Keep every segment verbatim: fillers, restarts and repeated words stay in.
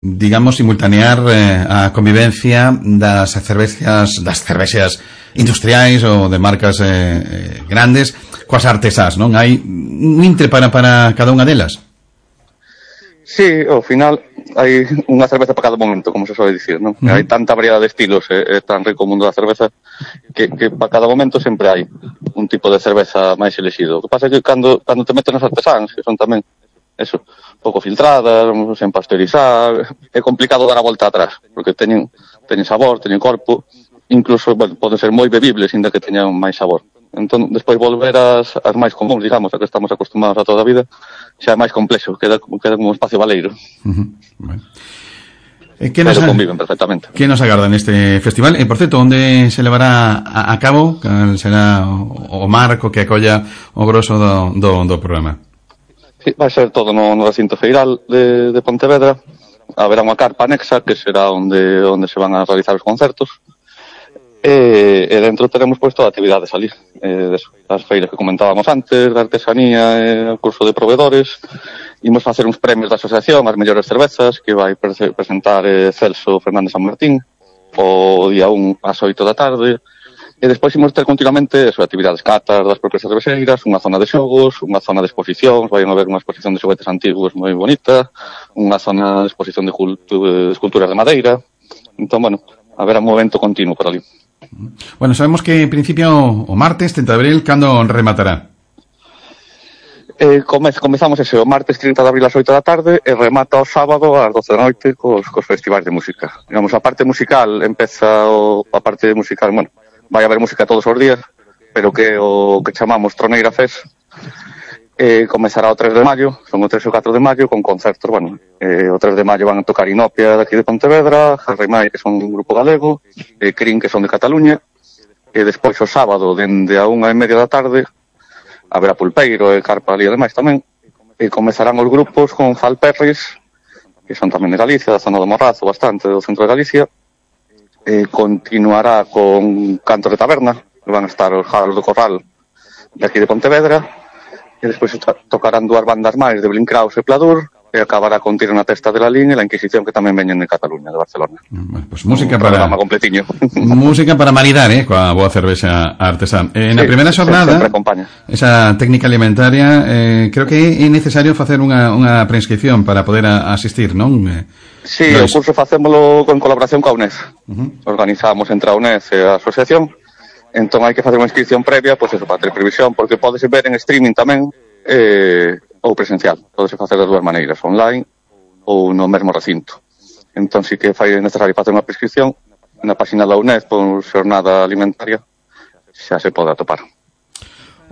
digamos, simultanear eh, a convivencia das cervexas, das cervexas industriais ou de marcas eh, eh, grandes coas artesás, non? Hai un intre para, para cada unha delas? Sí, ao final hai unha cerveza para cada momento, como se sobe dicir, non? Uh-huh. Hai tanta variedade de estilos, é, é tan rico o mundo da cerveza que, que para cada momento sempre hai un tipo de cerveza máis elexido. O que pasa é que cando, cando te metes nas artesáns, que son tamén, eso, pouco filtradas, sen pasteurizar, é complicado dar a volta atrás, porque teñen, teñen sabor, teñen corpo, incluso, bueno, poden ser moi bebibles, ainda que teñan máis sabor. Entón, despois volver ás, as máis comuns, digamos, a que estamos acostumados a toda a vida, xa é máis complexo, queda, queda como un espacio baleiro. Uh-huh. Bueno. Eh, que nos Pero conviven perfectamente. Que nos agarda neste festival? E, por certo, onde se levará a, a cabo? Cal será o, o marco que acolla o grosso do, do, do programa? Sí, vai ser todo no, no recinto feiral de, de Pontevedra. Haberá unha carpa anexa, que será onde, onde se van a realizar os concertos. E, e dentro teremos pois toda a actividade a salir, eh, das feiras que comentábamos antes, da artesanía, eh, o curso de proveedores. Imos facer uns premios da asociación, as mellores cervezas, que vai pre- presentar eh, Celso Fernández San Martín o día un ás oito da tarde. E despois imos ter continuamente eso, actividades catas das propias cervexeiras, unha zona de xogos, unha zona de exposicións, vai haber unha exposición de xoguetes antigos moi bonita, unha zona de exposición de, cultu- de esculturas de madeira. Entón, bueno, haberá un movimento continuo por ali. Bueno, sabemos que en principio o martes trinta de abril, cando rematará? Eh, comez, comezamos ese o martes trinta de abril ás oito da tarde e remata o sábado ás doce da noite cos, cos festivais de música. Digamos, a parte musical empeza o, a parte musical, bueno, vai haber música todos os días, pero que o que chamamos Troneira Fest eh, comezará o tres de maio, son o tres e o catro de maio, con concertos, bueno, eh, o tres de maio van a tocar Inopia daqui de Pontevedra, Jarrimai, que son un grupo galego, e Crin, que son de Cataluña, e despois o sábado, dende a unha e media da tarde, haberá Pulpeiro e Carpa ali ademais tamén, e comezarán os grupos con Falperris, que son tamén de Galicia, da zona do Morrazo, bastante, do centro de Galicia, e continuará con Cantos de Taberna, que van a estar os Jaros do Corral de aquí de Pontevedra, e despois tocarán dúas bandas máis de Blinkraus e Pladur, e acabará con Tiro na Testa de la Lin e La Inquisición, que tamén veñen de Cataluña, de Barcelona. Bueno, pues música un para completiño. Música para maridar, eh, coa boa cervexa artesán. Eh, na sí, primeira xornada, esa técnica alimentaria, eh, creo que é necesario facer unha, unha prescripción para poder a, asistir, non? Eh, sí, no o es... curso facémolo con colaboración coa U N E D. Uh-huh. Organizamos entre a U N E D e a asociación. Entón hai que facer unha inscripción previa, pois eso, para ter previsión, porque podese ver en streaming tamén, eh, ou presencial. Podese facer das dúas maneiras, online ou no mesmo recinto. Entón sí que fai necesario facer unha prescripción na página da U N E D por xornada alimentaria, xa se pode atopar.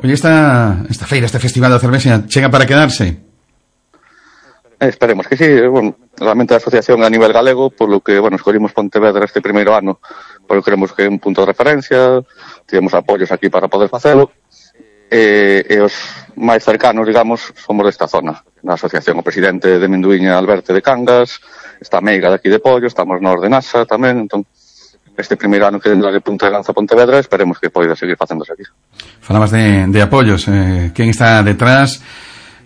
Oye, esta, esta feira, este festival da cervexa, chega para quedarse? Eh, esperemos que sí. Bueno, realmente a asociación a nivel galego, por lo que, bueno, escollimos Pontevedra este primeiro ano, porque creemos que é un punto de referencia, tivemos apoios aquí para poder facelo, e, e os máis cercanos, digamos, somos desta zona, na asociación. O presidente de Minduíña, Alberto de Cangas, está a Meiga de aquí de Pollo, estamos nós de Nasa tamén, entón, este primeiro ano que dentro de Punta de Lanza Pontevedra, esperemos que poida seguir facéndose aquí. Falabas de, de apoios, eh, quen está detrás,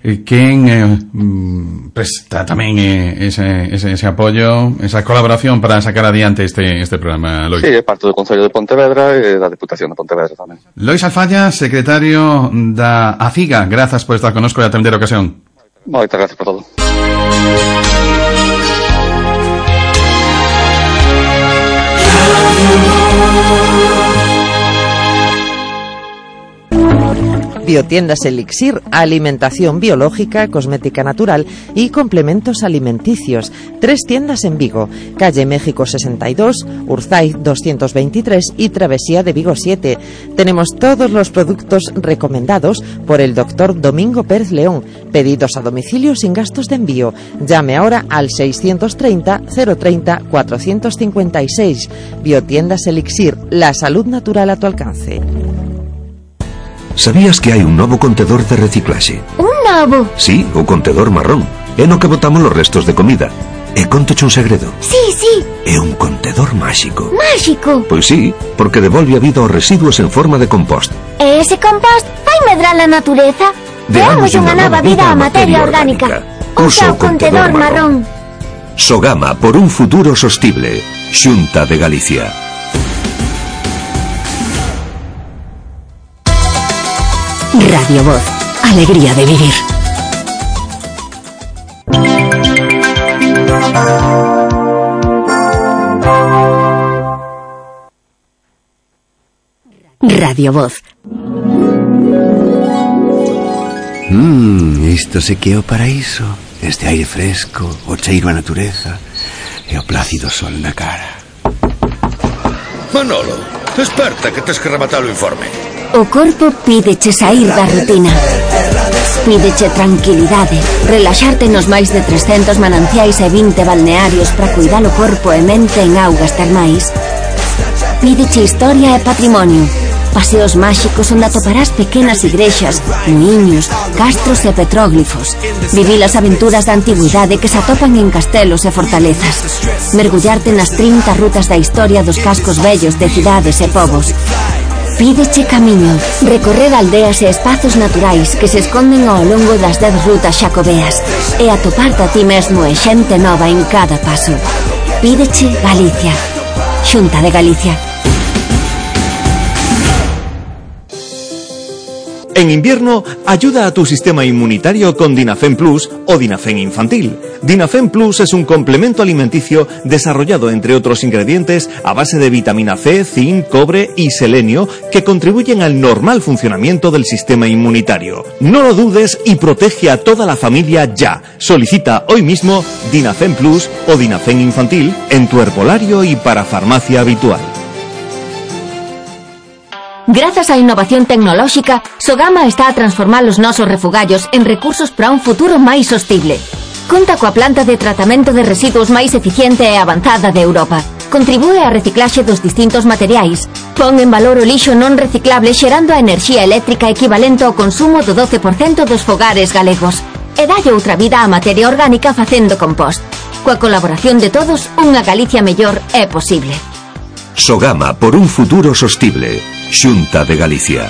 eh, quen eh, mm, presta tamén eh, ese, ese, ese apoio, esa colaboración para sacar adiante este, este programa, Lois? Sí, é parte do Concello de Pontevedra e da Deputación de Pontevedra tamén. Lois Alfalla, secretario da ACIGA, grazas por estar connosco e atender a ocasión. Moitas gracias por todo. Biotiendas Elixir, alimentación biológica, cosmética natural y complementos alimenticios. Tres tiendas en Vigo, calle México sesenta y dos, Urzaiz doscientos veintitrés y Travesía de Vigo siete. Tenemos todos los productos recomendados por el doctor Domingo Pérez León. Pedidos a domicilio sin gastos de envío. Llame ahora al seiscientos treinta, cero treinta, cuatrocientos cincuenta y seis. Biotiendas Elixir, la salud natural a tu alcance. Sabías que hai un novo contedor de reciclaxe? Un novo? Sí, o contedor marrón. É no que botamos os restos de comida. E contoche un segredo. Sí, sí. É un contedor máxico. Máxico? Pois sí, porque devolve a vida aos residuos en forma de compost. E ese compost vai medrar a natureza? Deamos unha nova vida á materia orgánica. Usa o contedor marrón. Sogama por un futuro sostible. Xunta de Galicia. Radio Voz. Alegría de vivir. Radio Voz. Mmm, isto se que é o paraíso. Este aire fresco, o cheiro a natureza e o plácido sol na cara. Manolo, desperta que tes que rematar o informe. O corpo pídeche sair da rutina. Pídeche tranquilidade, relaxarte nos máis de trescentos mananciais e vinte balnearios para cuidar o corpo e mente en augas termais. Pídeche historia e patrimonio. Paseos máxicos onde atoparás pequenas igrexas, muiños, castros e petróglifos. Vivir as aventuras da antigüidade que se atopan en castelos e fortalezas. Mergullarte nas trinta rutas da historia dos cascos vellos de cidades e povos. Pídeche camiño, recorrer aldeas e espazos naturais que se esconden ao longo das dez rutas xacobeas e atoparte a ti mesmo e xente nova en cada paso. Pídeche Galicia. Xunta de Galicia. En invierno, ayuda a tu sistema inmunitario con Dinafen Plus o Dinafen Infantil. Dinafen Plus es un complemento alimenticio desarrollado, entre otros ingredientes, a base de vitamina C, zinc, cobre y selenio que contribuyen al normal funcionamiento del sistema inmunitario. No lo dudes y protege a toda la familia ya. Solicita hoy mismo Dinafen Plus o Dinafen Infantil en tu herbolario y para farmacia habitual. Grazas á innovación tecnolóxica, Sogama está a transformar os nosos refugallos en recursos para un futuro máis sostible. Conta coa planta de tratamento de residuos máis eficiente e avanzada de Europa. Contribúe á reciclaxe dos distintos materiais. Pon en valor o lixo non reciclable xerando a enerxía eléctrica equivalente ao consumo do doce por cento dos fogares galegos. E dalle outra vida á materia orgánica facendo compost. Coa colaboración de todos, unha Galicia mellor é posible. Sogama por un futuro sostible. Xunta de Galicia.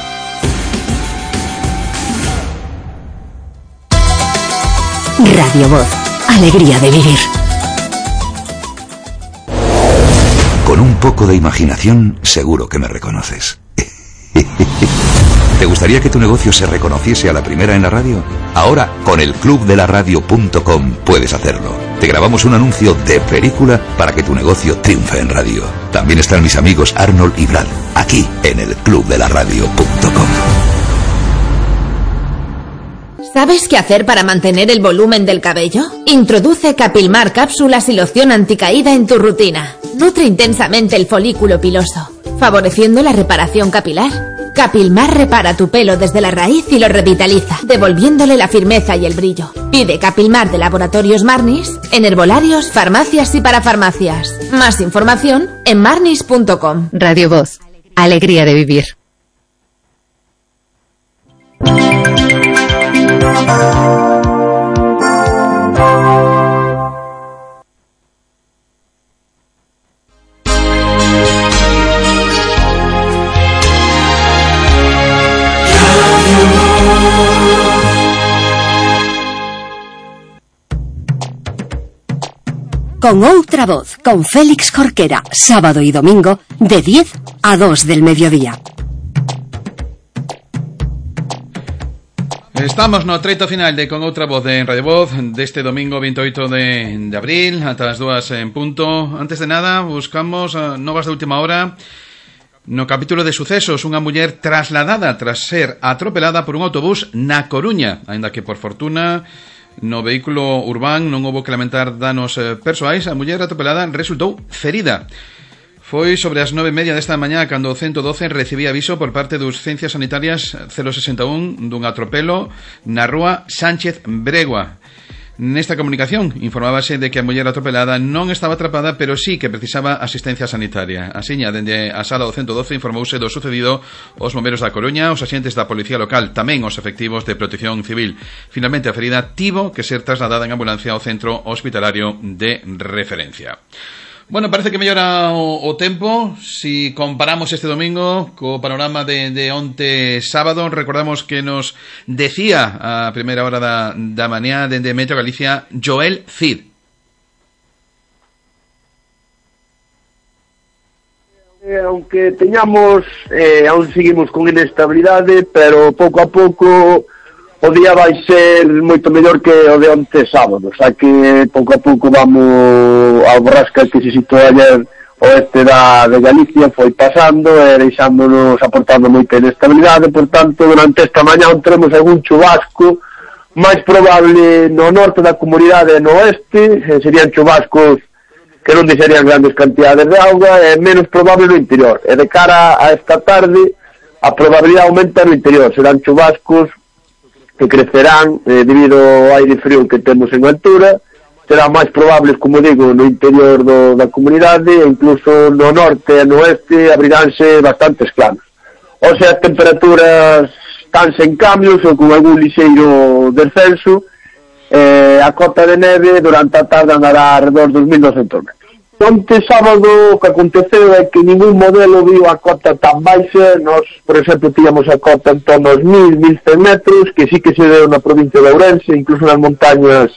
Radio Voz. Alegría de vivir. Con un poco de imaginación, seguro que me reconoces. ¿Te gustaría que tu negocio se reconociese a la primera en la radio? Ahora, con el club de la radio punto com puedes hacerlo. Te grabamos un anuncio de película para que tu negocio triunfe en radio. También están mis amigos Arnold y Brad, aquí en el club de la radio punto com. ¿Sabes qué hacer para mantener el volumen del cabello? Introduce Capilmar cápsulas y loción anticaída en tu rutina. Nutre intensamente el folículo piloso, favoreciendo la reparación capilar. Capilmar repara tu pelo desde la raíz y lo revitaliza, devolviéndole la firmeza y el brillo. Pide Capilmar de Laboratorios Marnis en herbolarios, farmacias y parafarmacias. Más información en marnis punto com. Radio Voz. Alegría de vivir. Con outra voz, con Félix Jorquera, sábado y domingo, de diez a dos del mediodía. Estamos no treito final de Con outra voz de Radio Voz deste domingo veintiocho de, de abril ata as dúas en punto. Antes de nada, buscamos uh, novas de última hora. No capítulo de sucesos, unha muller trasladada tras ser atropelada por un autobús na Coruña, aínda que por fortuna no vehículo urbán non houbo que lamentar danos eh, persoais. A muller atropelada resultou ferida. Foi sobre as nove e media desta mañá cando o ciento doce recibía aviso por parte dos Ciencias Sanitarias cero sesenta e un dun atropelo na rúa Sánchez Bregua. Nesta comunicación informábase de que a muller atropelada non estaba atrapada, pero sí que precisaba asistencia sanitaria. Asiña, dende a sala do ciento doce informouse do sucedido os bomberos da Coruña, os axentes da Policía Local, tamén os efectivos de Protección Civil. Finalmente a ferida tivo que ser trasladada en ambulancia ao centro hospitalario de referencia. Bueno, parece que mellora o, o tempo. Si comparamos este domingo co panorama de, de onte sábado, recordamos que nos decía a primeira hora da, da mañá dende Metro Galicia Joel Cid. Eh, aunque teñamos, eh, aún seguimos con inestabilidade, pero pouco a pouco o día vai ser moito mellor que o de onte sábado, xa que pouco a pouco vamos a borrasca que se situou ayer oeste da, de Galicia, foi pasando e deixándonos, aportando moita inestabilidade, por tanto, durante esta mañá teremos algún chubasco, máis probable no norte da comunidade e no oeste, eh, serían chubascos que non deixarían grandes cantidades de auga, e menos probable no interior. E de cara a esta tarde, a probabilidade aumenta no interior. Serán chubascos que crecerán eh, debido ao aire frío que temos en altura. Serán máis probables, como digo, no interior do, da comunidade, e incluso no norte e no oeste abriránse bastantes claros. O sea, as temperaturas están sen cambios ou con algún lixeiro descenso. Eh, a cota de neve durante a tarde andará alrededor dos mil doscientos metros. Onte sábado o que aconteceu é que ningún modelo viu a cota tan baixa. Nós, por exemplo, tíamos a cota en torno aos mil, mil cen metros, que sí que se deu na provincia de Ourense, incluso nas montañas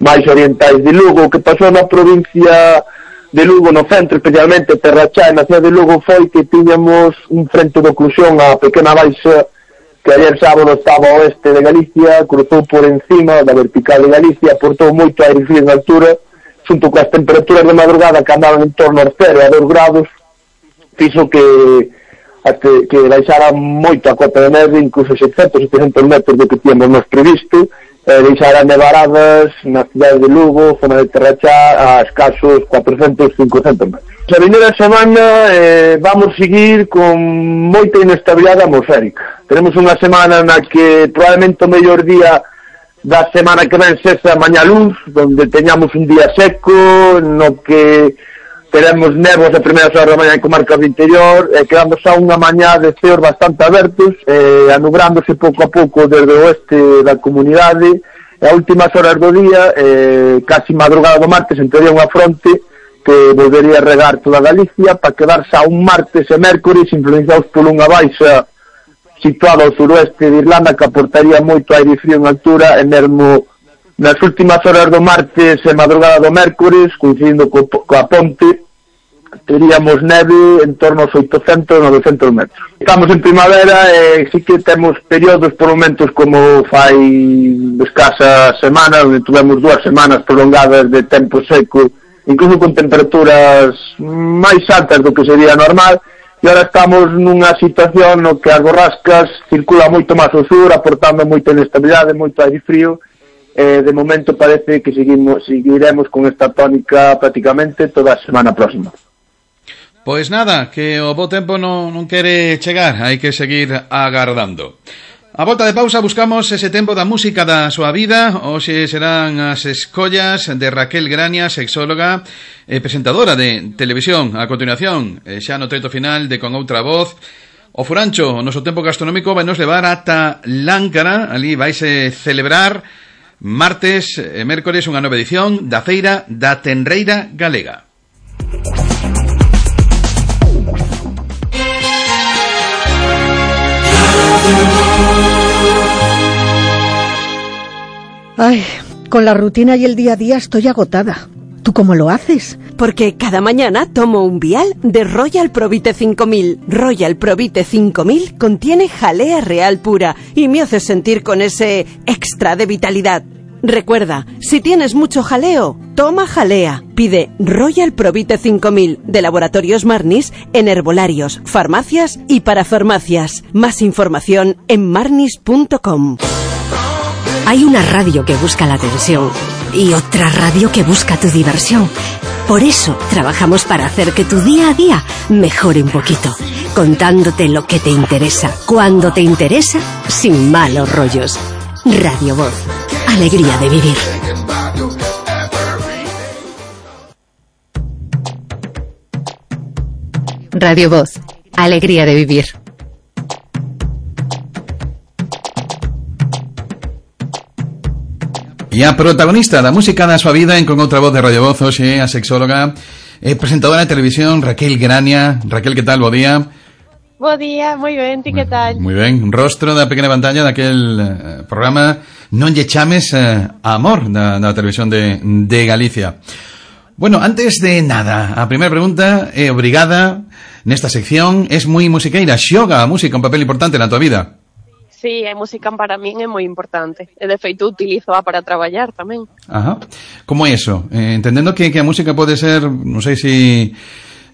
máis orientais de Lugo. O que pasou na provincia de Lugo, no centro, especialmente Terrachá, na cidade de Lugo, foi que tiñamos un frente de oclusión a pequena baixa que ayer sábado estaba ao oeste de Galicia, cruzou por encima da vertical de Galicia, aportou moito aire frío en altura, xunto coas temperaturas de madrugada que andaban en torno aos cero a dos grados, fixo que até que baixara moito a cota de neve, incluso seiscentos, setecentos metros do que tíamos nos previsto, e deixara nevaradas na cidade de Lugo, zona de Terrachá, a escasos cuatrocentos, cincocentos metros. A vindeira semana eh, vamos seguir con moita inestabilidade atmosférica. Tenemos unha semana na que probablemente o mellor día da semana que ven sexa mañá luz, donde teñamos un día seco, no que teremos néboas a primeiras horas da mañá en comarcas do interior, e quedando xa unha mañá de ceos bastante abertos, eh, anubrándose pouco a pouco desde o oeste da comunidade, e a últimas horas do día, eh, casi madrugada do martes, entraría unha fronte que volvería a regar toda Galicia para quedar xa un martes e mércores influenciados por unha baixa situada ao suroeste de Irlanda que aportaría moito aire frío en altura, e mesmo nas últimas horas do martes e madrugada do mércores, coincidindo co, coa ponte, teríamos neve en torno aos oitocentos, novecentos metros. Estamos en primavera e sí que temos períodos por momentos como fai escasas semanas, onde tivemos dúas semanas prolongadas de tempo seco, incluso con temperaturas máis altas do que sería normal, e agora estamos nunha situación no que as borrascas circulan moito máis ao sur, aportando moita inestabilidade, moito aire frío, e de momento parece que seguimos, seguiremos con esta tónica prácticamente toda a semana próxima. Pois nada, que o bo tempo non, non quere chegar, hai que seguir agardando. A volta de pausa buscamos ese tempo da música da súa vida. Hoxe serán as escollas de Raquel Grania, sexóloga e presentadora de televisión. A continuación, xa no treito final de Con Outra Voz, o Furancho, o noso tempo gastronómico vai nos levar ata Láncara. Ali vaise celebrar martes e mércores unha nova edición da Feira da Tenreira Galega. Ay, con la rutina y el día a día estoy agotada. ¿Tú cómo lo haces? Porque cada mañana tomo un vial de Royal Provite cinco mil. Royal Provite cinco mil contiene jalea real pura y me hace sentir con ese extra de vitalidad. Recuerda, si tienes mucho jaleo, toma jalea. Pide Royal Provite cinco mil de Laboratorios Marnis en herbolarios, farmacias y parafarmacias. Más información en marnis punto com. Hay una radio que busca la atención y otra radio que busca tu diversión. Por eso trabajamos para hacer que tu día a día mejore un poquito, contándote lo que te interesa, cuando te interesa, sin malos rollos. Radio Voz, alegría de vivir. Radio Voz, alegría de vivir. E a protagonista da música da súa vida en Con Outra Voz de Radio Voz, hoxe a sexóloga e presentadora de televisión Raquel Grania. Raquel, que tal? Bo día. Bo día, moi ben, ti que tal? Moi ben, rostro da pequena pantalla daquel eh, programa Non lle chames eh, amor da, da televisión de, de Galicia. Bueno, antes de nada, a primeira pregunta é obrigada nesta sección, es moi musiqueira, xoga a música un papel importante na tua vida? Sí, a música para min é moi importante, e de feito utilizo para traballar tamén. Ajá, como é eso? Eh, entendendo que, que a música pode ser, non sei se...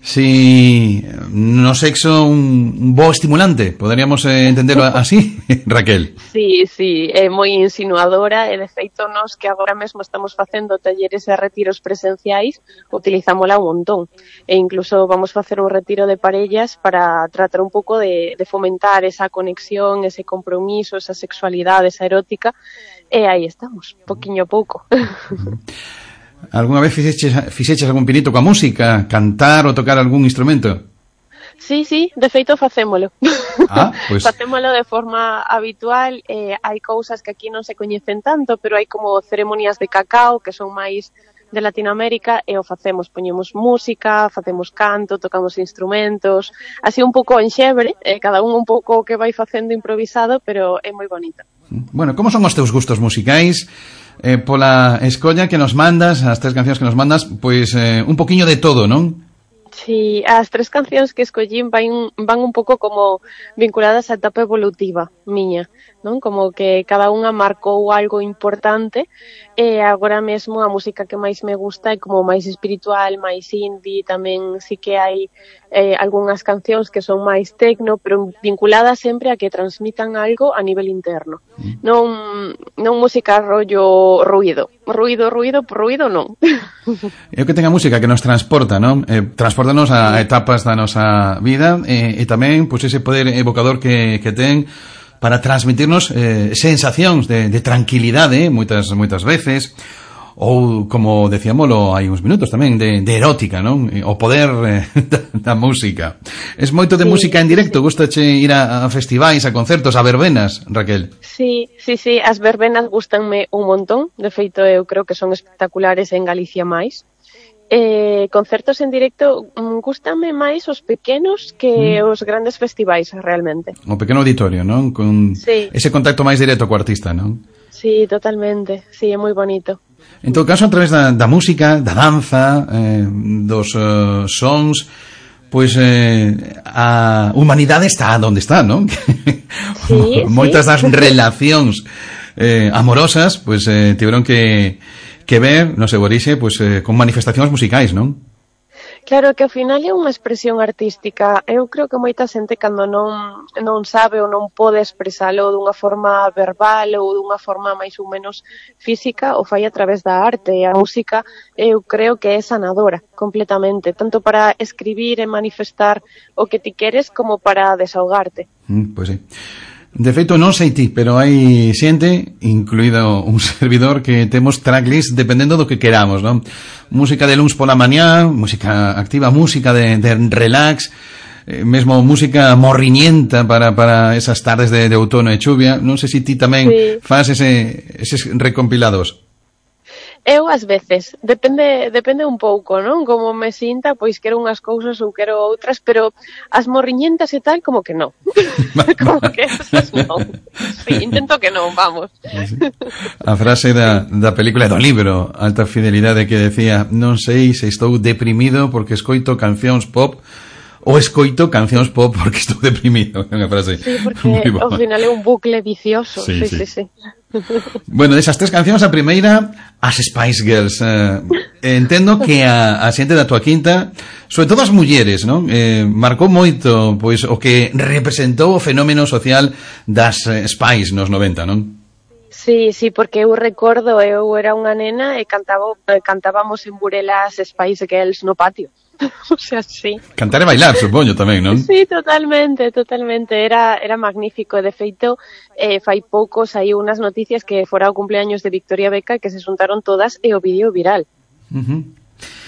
Si no sexo un, un bo estimulante, poderíamos eh, entenderlo así, Raquel? Sí, sí, é moi insinuadora e de feito nos que agora mesmo estamos facendo talleres e retiros presenciais utilizámola un montón e incluso vamos facer un retiro de parellas para tratar un pouco de, de fomentar esa conexión, ese compromiso, esa sexualidade, esa erótica e aí estamos, poquinho a pouco. Alguna vez fixeches, fixeches algún pinito coa música? Cantar ou tocar algún instrumento? Sí, sí, de feito facémolo. Ah, pues... Facémolo de forma habitual. Eh, hai cousas que aquí non se coñecen tanto, pero hai como ceremonias de cacao que son máis de Latinoamérica e o facemos, poñemos música, facemos canto, tocamos instrumentos, así un pouco en xebre, eh, cada un un pouco que vai facendo improvisado, pero é moi bonita. Bueno, como son os teus gustos musicais? Eh, pola escolla que nos mandas, as tres cancións que nos mandas, pois eh, un poquiño de todo, non? Sí, as tres cancións que escollín van, van un pouco como vinculadas á etapa evolutiva miña, non? Como que cada unha marcou algo importante e agora mesmo a música que máis me gusta é como máis espiritual, máis indie, tamén sí que hai eh, algunhas cancións que son máis tecno, pero vinculadas sempre a que transmitan algo a nivel interno. Mm. Non, non música rollo ruido. Ruido, ruido, ruido non. É o que ten a música que nos transporta, non? Eh, transportanos a etapas da nosa vida e, e tamén pois, ese poder evocador que, que ten para transmitirnos eh, sensacións de, de tranquilidade moitas moitas veces, ou como decíamolo hai uns minutos tamén de, de erótica, non? O poder eh, da, da música. Es moito de sí, música en directo, sí. Gustache ir a, a festivais, a concertos, a verbenas, Raquel? Sí, sí, sí, as verbenas gustanme un montón, de feito eu creo que son espectaculares en Galicia máis. Eh, concertos en directo gústame máis os pequenos que mm. os grandes festivais realmente. O pequeno auditorio, non? Con sí. Ese contacto máis directo co artista, non? Sí, totalmente, sí, é moi bonito. En todo caso, a través da, da música, da danza, eh, dos uh, sons, pois eh, a humanidade está onde está, non? Sí, moitas sí. das relacións eh, amorosas, pois eh, tiveron que que ver, no seu orixe, pois, eh, con manifestacións musicais, non? Claro, que ao final é unha expresión artística. Eu creo que moita xente cando non, non sabe ou non pode expresalo dunha forma verbal ou dunha forma máis ou menos física, o fai a través da arte. E a música eu creo que é sanadora completamente, tanto para escribir e manifestar o que ti queres como para desahogarte. Mm, pois sí. De feito, non sei ti, pero hai xente, incluído un servidor, que temos tracklist dependendo do que queramos, non? Música de luns pola mañá, música activa, música de, de relax, eh, mesmo música morriñenta para, para esas tardes de, de outono e chuvia. Non sei se ti tamén sí. faz ese, eses recompilados. Eu, ás veces, depende depende un pouco, non? Como me sinta, pois quero unhas cousas ou quero outras, pero as morriñentas e tal, como que non. Como que esas non. Sí, intento que non, vamos. Sí. A frase da, da película do libro Alta Fidelidade que decía: non sei se estou deprimido porque escoito cancións pop ou escoito cancións pop porque estou deprimido. É unha frase. Sí, porque ao final é un bucle vicioso. Sí, sí, sí. sí. sí. Bueno, desas tres cancións, a primeira, as Spice Girls. Eh, entendo que a, a xente da tua quinta, sobre todo as mulleres, non? Eh, marcou moito pois o que representou o fenómeno social das eh, Spice nos noventa, non? Sí, sí, porque eu recordo, eu era unha nena e cantaba, cantábamos en Burela as Spice Girls no patio. O sea, sí. Cantar e bailar, supoño, tamén, non? Sí, totalmente, totalmente. Era era magnífico. De feito, eh, fai poucos hai unhas noticias que fora o cumpleaños de Victoria Beckham que se xuntaron todas e o vídeo viral. Uh-huh.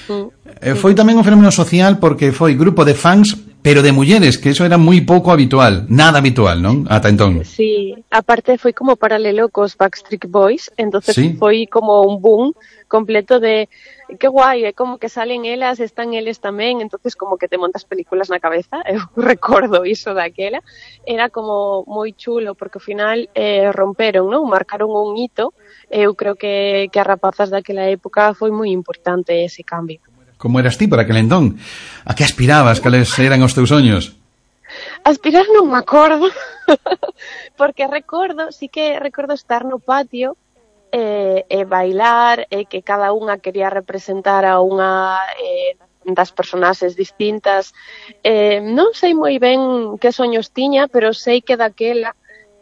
Mm. Eh, foi tamén un fenómeno social porque foi grupo de fans, pero de mulleres, que eso era moi pouco habitual, nada habitual, non? Ata entón. Sí, aparte foi como paralelo cos Backstreet Boys, entonces ¿Sí? foi como un boom completo de que guai, é como que salen elas, están eles tamén, entonces como que te montas películas na cabeza, eu recordo iso daquela, era como moi chulo, porque ao final eh, romperon, non? Marcaron un hito, eu creo que, que as rapazas daquela época foi moi importante ese cambio. Como eras ti para aquel entón? A que aspirabas? Cales eran os teus soños? Aspirar non me acordo, porque recordo, sí que recordo estar no patio e, e bailar, e que cada unha quería representar a unha eh, das personaxes distintas. Eh, non sei moi ben que soños tiña, pero sei que daquela,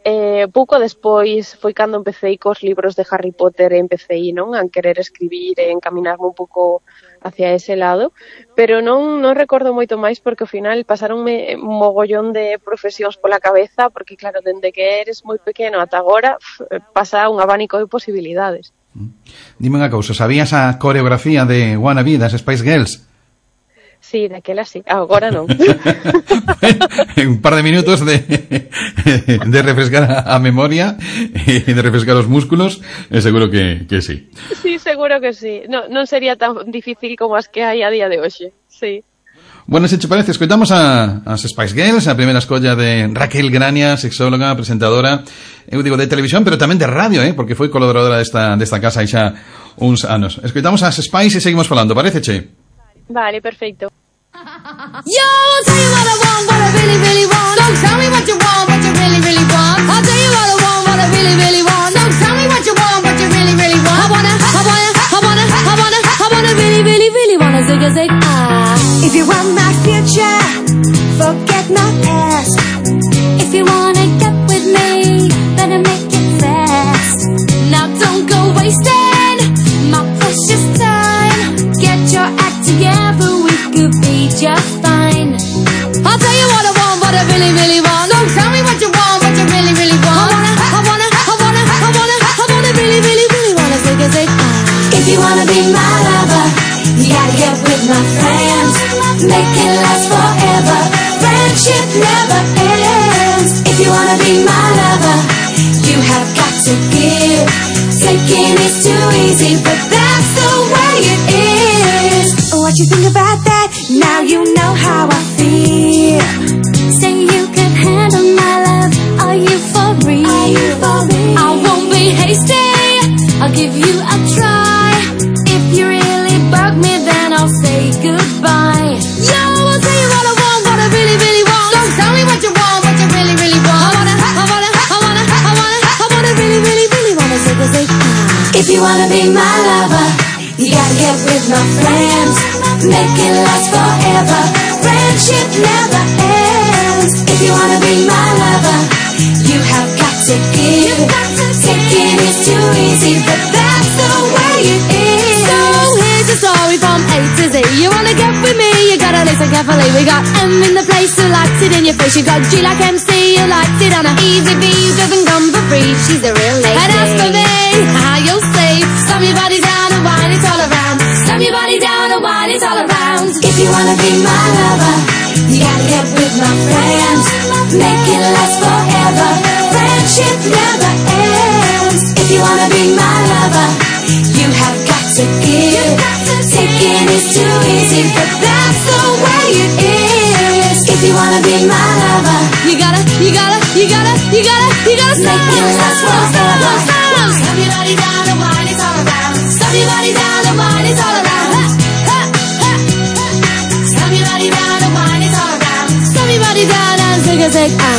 eh, pouco despois, foi cando empecé cos libros de Harry Potter e empecé, non, a querer escribir e encaminarme un pouco hacia ese lado, pero non non recordo moito máis porque ao final pasaronme un mogollón de profesións pola cabeza, porque claro, dende que eres moi pequeno ata agora pasa un abanico de posibilidades. Dime unha cousa, sabías a coreografía de Wannabe das Spice Girls? Sí, daquela sí, agora non. Un par de minutos de, de refrescar a memoria e de refrescar os músculos, é seguro que, que sí. Sí, seguro que sí. No, non sería tan difícil como as que hai a día de hoxe, sí. Bueno, se te parece, escoitamos a, as Spice Girls, a primeira escolla de Raquel Grania, sexóloga, presentadora, eu digo de televisión, pero tamén de radio, eh, porque foi colaboradora desta, desta casa hai xa uns anos. Escoitamos as Spice e seguimos falando, parece, che? Vale, perfecto. Yo, I'll tell you what I want, what I really, really want. Don't tell me what you want, what you really, really want. I'll tell you what I want, what I really, really want. Don't tell me what you want, what you really, really want. I wanna, I wanna, I wanna, I wanna, I wanna really, really, really wanna zig a zig ah. If you want my future, forget my past. If you wanna get with me, better make it fast. Now don't go wasting my precious time. Get your act together, we could be just fine. I'll tell you what I want, what I really, really want. Don't tell me what you want, what you really, really want. I wanna, I wanna, I wanna, I wanna, I wanna really, really, really wanna zig a zig ah. If you wanna be my lover, you gotta get with my friends. Make it last forever. Friendship never ends. If you wanna be my lover, you have got to give. Taking is too easy, but that's the way it is. What you think about that? Now you know how I feel. Say you can handle my love. Are you for real? Are you for real? I won't be hasty. I'll give you a try. If you really bug me, then I'll say goodbye. Yo, I'll tell you what I want, what I really, really want. Don't tell me what you want, what you really, really want. I wanna, I wanna, I wanna, I wanna, I wanna really, really, really wanna zig a zig ah. If you wanna be my lover, you gotta get with my friends. Make it last forever. Friendship never ends. If you wanna be my lover, you have got to give. Taking is too easy, but that's the way it is. So here's the story from A to Z. You wanna get with me, you gotta listen carefully. We got M in the place who likes it in your face. You got G like M C who likes it on a easy B who doesn't come for free. She's a real lady. And as for me, how you'll see. Slam your body down and wine it all around. Slam your body down and wine it all around. If you wanna be my lover, you gotta get with my friends. Make it last forever. Friendship never ends. If you wanna be my lover, you have got to give. Taking is too easy, but that's the way it is. If you wanna be my lover, you gotta, you gotta, you gotta, you gotta, you gotta make it last forever. Slam your body down and wine it all around. Slam your body down and wine it all around. Slam your body down and wine it all around. Slam your body down and zig a zig ah.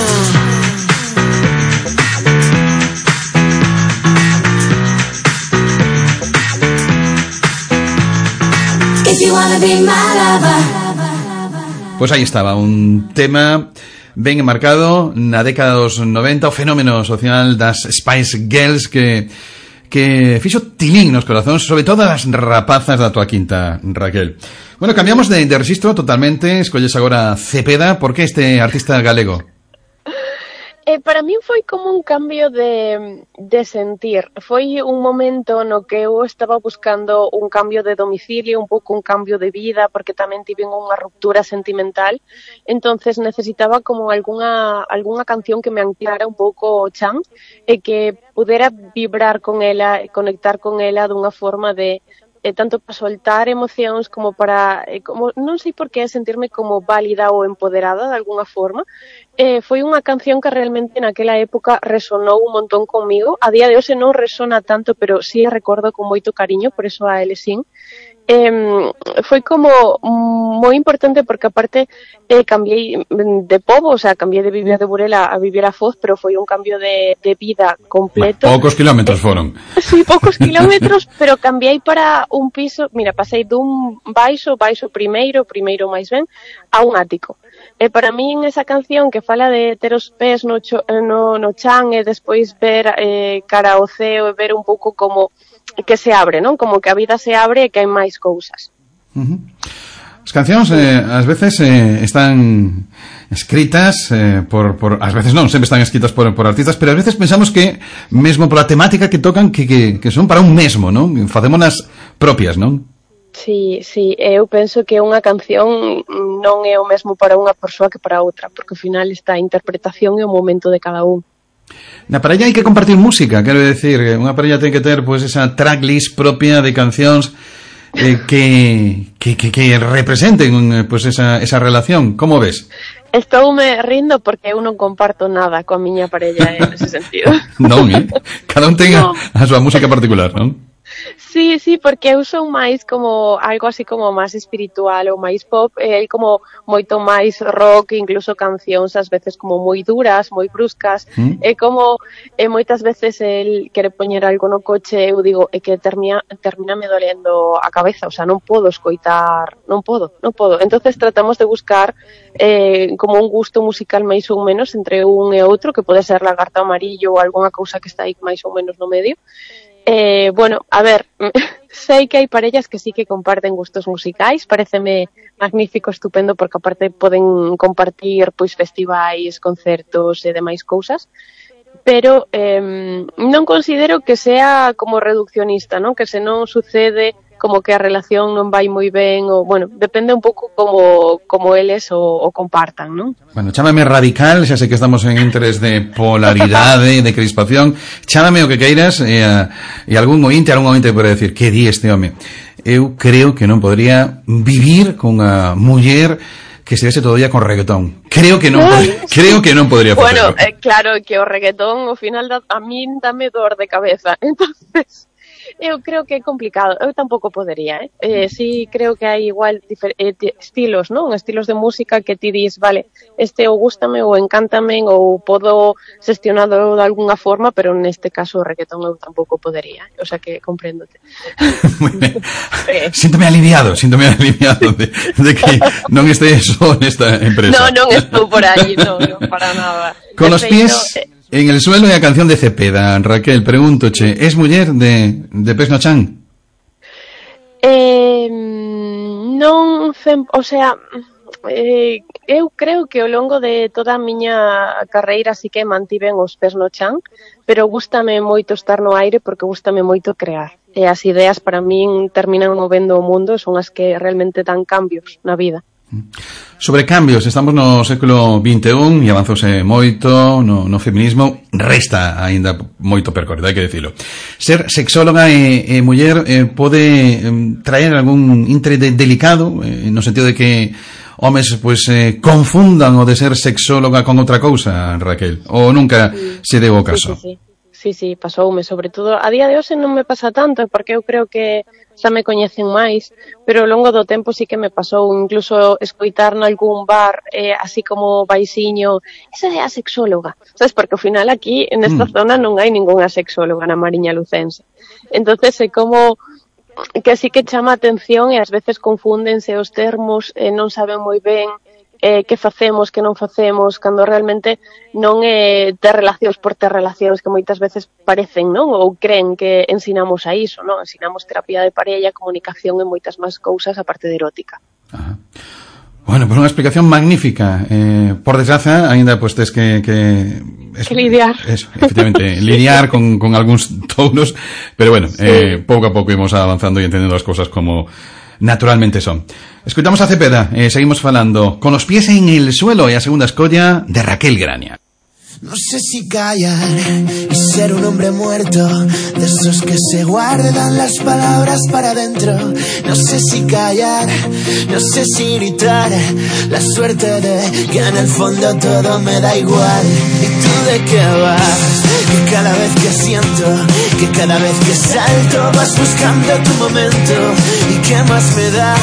If you wanna be my lover. Pues aí estaba, un tema ben enmarcado na década dos noventa, o fenómeno social das Spice Girls que que fixo tilín nos corazóns, sobre todo as rapazas da tua quinta, Raquel. Bueno, cambiamos de, de registro totalmente, escolles agora Cepeda. Por que este artista galego? Eh, para min foi como un cambio de, de sentir. Foi un momento no que eu estaba buscando un cambio de domicilio, un pouco un cambio de vida, porque tamén tive unha ruptura sentimental. Entonces necesitaba como algunha, algunha canción que me anclara un pouco o chan e que pudera vibrar con ela, conectar con ela dunha forma de eh, tanto para soltar emocións como para, eh, como non sei por que sentirme como válida ou empoderada de alguna forma. Eh, foi unha canción que realmente naquela época resonou un montón comigo. A día de hoxe non resona tanto, pero sí a recordo con moito cariño, por eso a Elesín. Eh, foi como moi importante porque aparte eh, cambiei de pobo, o sea, cambiei de vivir de Burela a vivir a Foz, pero foi un cambio de, de vida completo. Poucos kilómetros foron. Sí, poucos kilómetros, pero cambiei para un piso, mira, pasei dun baixo, baixo primeiro, primeiro máis ben, a un ático. E para min esa canción que fala de ter os pés no, cho, no, no chan e despois ver eh, cara ao ceo e ver un pouco como que se abre, non? Como que a vida se abre e que hai máis cousas. Uh-huh. As cancións eh, ás veces eh, están escritas eh, por, por ás veces non, sempre están escritas por, por artistas, pero ás veces pensamos que mesmo pola temática que tocan que, que, que son para un mesmo, non? Facémonas propias, non? Sí, sí, eu penso que unha canción non é o mesmo para unha persoa que para outra, porque ao final está a interpretación e o momento de cada un. Na parella hai que compartir música, quero decir, unha parella ten que ter pois esa tracklist propia de cancións eh, que, que, que, que representen pois esa, esa relación. Como ves? Estoume rindo porque eu non comparto nada coa miña parella en ese sentido. Non, eh? Cada un ten no. a, a súa música particular, non? Sí, sí, porque eu son máis como algo así como máis espiritual ou máis pop, e hai como moito máis rock, incluso cancións ás veces como moi duras, moi bruscas, mm. e como e moitas veces el quere poñer algo no coche, eu digo, é que termina, termina me dolendo a cabeza, o sea, non podo escoitar, non podo, non podo. Entonces tratamos de buscar eh, como un gusto musical máis ou menos entre un e outro, que pode ser Lagarto Amarillo ou algunha cousa que está aí máis ou menos no medio. Eh, bueno, a ver, sei que hai parellas que sí que comparten gustos musicais, pareceme magnífico, estupendo, porque aparte poden compartir pois festivais, concertos e demais cousas, pero eh, non considero que sea como reduccionista, non? Que se non sucede como que a relación non vai moi ben, ou, bueno, depende un pouco como, como eles o, o compartan, non? Bueno, chámame radical, xa sei que estamos en interés de polaridade, de crispación, chámame o que queiras, e, a, e algún ointe, algún ointe pode decir, que di este home? Eu creo que non podría vivir con a muller que se vese todo día con reggaetón. Creo que non podría, creo que non podría Bueno, facerlo. eh, claro que o reggaetón ao final da, a min dame dor de cabeza, entonces eu creo que é complicado. Eu tampouco podería, eh? eh sí, creo que hai igual difer- eh, estilos, non? Estilos de música que ti dis, vale, este ou gústame ou encántame ou podo gestionado de alguna forma, pero neste caso o reggaetón eu tampouco podería. O sea que compréndote. Muy ben. eh. Síntome aliviado, síntome aliviado de, de que non esté só nesta empresa. No, non estou por aí, non, non para nada. Con os pies en el suelo e a canción de Cepeda. Raquel, pregúntoche, es muller de, de Pés no Chan? Eh, non, o sea, eh, eu creo que ao longo de toda a miña carreira sí que mantiven os pés no chan, pero gústame moito estar no aire porque gústame moito crear. E as ideas para min terminan movendo o mundo, son as que realmente dan cambios na vida. Sobre cambios, estamos no século vinte e un e avanzouse moito no, no feminismo, resta aínda moito percorrido, hai que dicilo. Ser sexóloga e, e muller eh, pode eh, traer algún intre de delicado, eh, no sentido de que homes pues, eh, confundan o de ser sexóloga con outra cousa, Raquel, ou nunca sí. se deu o caso? Sí, sí, sí. Sí, sí, pasoume, sobre todo a día de hoxe non me pasa tanto, porque eu creo que xa me coñecen máis, pero ao longo do tempo sí que me pasou, incluso escoitar nalgún bar, eh, así como baixiño, esa é a sexóloga, sabes, porque ao final aquí, nesta mm. zona, non hai ningunha sexóloga na Mariña Lucense. Entonces é como que sí que chama a atención e ás veces confúndense os termos, e non saben moi ben eh, que facemos, que non facemos, cando realmente non é ter relacións por ter relacións que moitas veces parecen, non? Ou creen que ensinamos a iso, non? Ensinamos terapia de parella, comunicación e moitas máis cousas aparte de erótica. Ajá. Bueno, pues unha explicación magnífica. Eh, por desgraza, aínda pues tes que... que, es, que lidiar. Eso, efectivamente, lidiar con, con algúns touros, pero bueno, sí. eh, pouco a pouco imos avanzando e entendendo as cousas como naturalmente son. Escoitamos a Cepeda, eh, seguimos falando con os pies en el suelo e a segunda escolla de Raquel Graña. No sé si callar y ser un hombre muerto, de esos que se guardan las palabras para adentro. No sé si callar, no sé si gritar, la suerte de que en el fondo todo me da igual. ¿Y tú de qué vas? Que cada vez que siento, que cada vez que salto vas buscando tu momento. ¿Y qué más me da?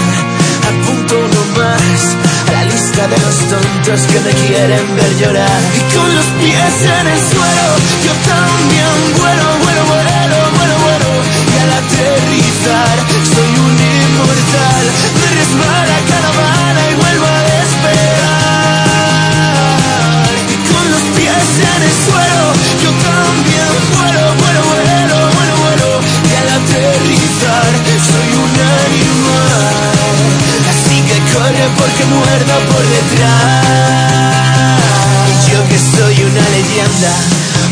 Apunto uno más a la lista de los tontos que me quieren ver llorar. Y con los pies en el suelo, yo también vuelo, vuelo, vuelo, vuelo, vuelo. Y al aterrizar, soy un inmortal. Me resbala cada bala y vuelvo a despegar. Y con los pies en el suelo, yo también vuelo, vuelo, vuelo, vuelo, vuelo. Y al aterrizar, soy un animal. Corre porque muerdo por detrás. Y yo que soy una leyenda,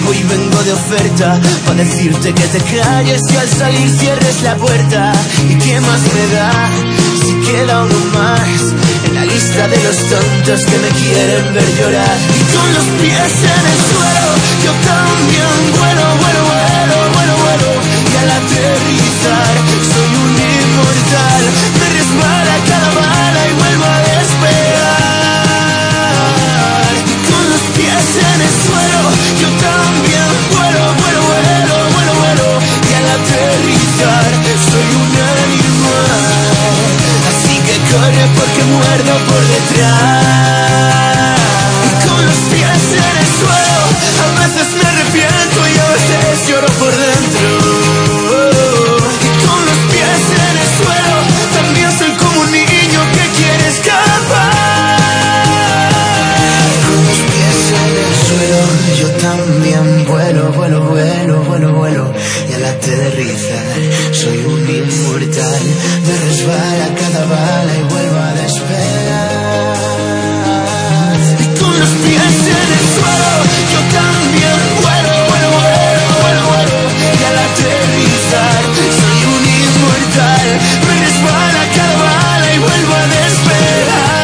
hoy vengo de oferta para decirte que te calles y al salir cierres la puerta. ¿Y qué más me da si queda uno más en la lista de los tontos que me quieren ver llorar? Y con los pies en el suelo, yo también vuelo, vuelo, vuelo, vuelo, vuelo. Y al aterrizar, soy un inmortal. Me resbala cada bala y vuelvo a despegar. Y con los pies en el suelo, yo también vuelo, vuelo, vuelo, vuelo, vuelo. Y al aterrizar, soy un animal. Así que corre porque muerdo por detrás. Y con los pies en el suelo, a veces me arrepiento y a veces lloro por dentro. Y con los pies en el suelo, también soy como un niño que quiere escapar. Con los pies en el suelo, yo también vuelo, vuelo, vuelo, vuelo, vuelo. Y al aterrizar, soy un inmortal. Me resbala cada bala y vuelvo a despegar. Y con los pies en el suelo, yo también vuelo, vuelo, vuelo, vuelo, vuelo. Y al aterrizar, soy un inmortal. Me resbala cada bala y vuelvo a despegar.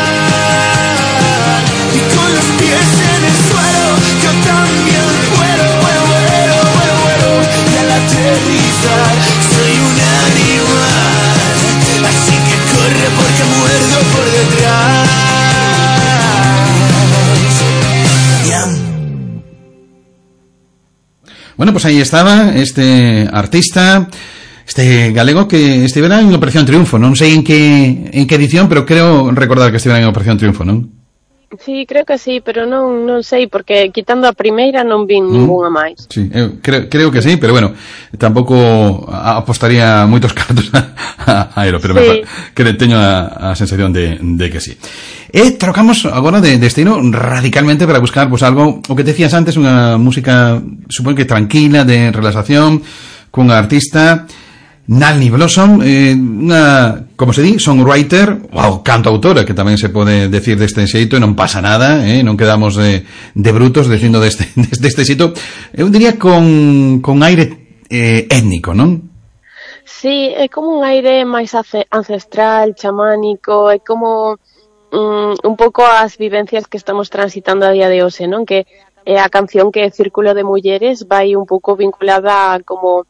Y con los pies en el suelo, yo también vuelo, vuelo, vuelo, vuelo, vuelo. Y al aterrizar, soy un animal. Así que corre porque muerdo por detrás. Bueno, pues ahí estaba este artista, este galego que estivera en Operación Triunfo. Non sei en que en que edición, pero creo recordar que estivera en Operación Triunfo, non? Sí, creo que sí, pero non non sei, porque quitando a primeira non vin mm. ninguna máis. Sí, eu creo, creo que sí, pero bueno, tampouco apostaría moitos cartos a, a Aero, pero sí. Me, que teño a, a sensación de, de que sí. E trocamos agora de destino radicalmente para buscar pues algo, o que te decías antes, unha música, supongo que tranquila, de relaxación, cunha artista, Nalni Blossom, eh, unha, como se di, songwriter ou cantautora, que tamén se pode decir deste xeito, e non pasa nada, eh, non quedamos de, de brutos dicindo deste, deste xeito, eu diría con, con aire eh, étnico, non? Sí, é como un aire máis ancestral, chamánico, é como um, un pouco as vivencias que estamos transitando a día de hoxe, non? Que é a canción que é Círculo de Mulleres vai un pouco vinculada a como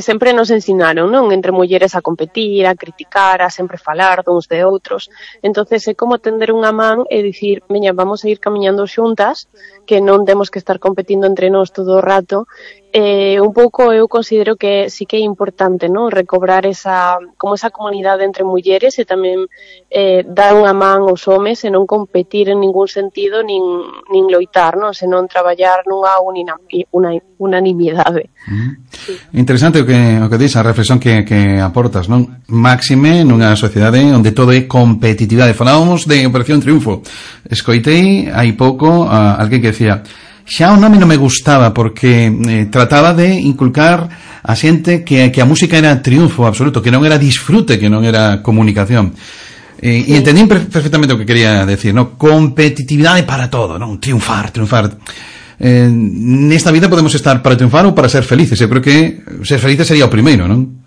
sempre nos ensinaron, non? Entre mulleres a competir, a criticar, a sempre falar duns de outros. Entonces é como tender unha man e dicir, veña, vamos a ir camiñando xuntas, que non temos que estar competindo entre nós todo o rato. Eh, un pouco eu considero que sí que é importante, non? Recobrar esa, como esa comunidade entre mulleres e tamén eh, dar unha man aos homes e non competir en ningún sentido nin, nin loitar, non? Senón traballar nunha unina, una, unanimidade. Mm. Sí. Interesante o que, o que dis, a reflexión que, que aportas, non? Máxime nunha sociedade onde todo é competitividade. Falábamos de Operación Triunfo. Escoitei hai pouco a alguén que decía, xa o nome non me gustaba porque eh, trataba de inculcar a xente que, que a música era triunfo absoluto, que non era disfrute, que non era comunicación. Eh, sí. E entendín perfectamente o que quería decir, ¿no? Competitividade para todo, non? Triunfar, triunfar. Eh, nesta vida podemos estar para triunfar ou para ser felices. Eu creo que ser felices sería o primeiro, non?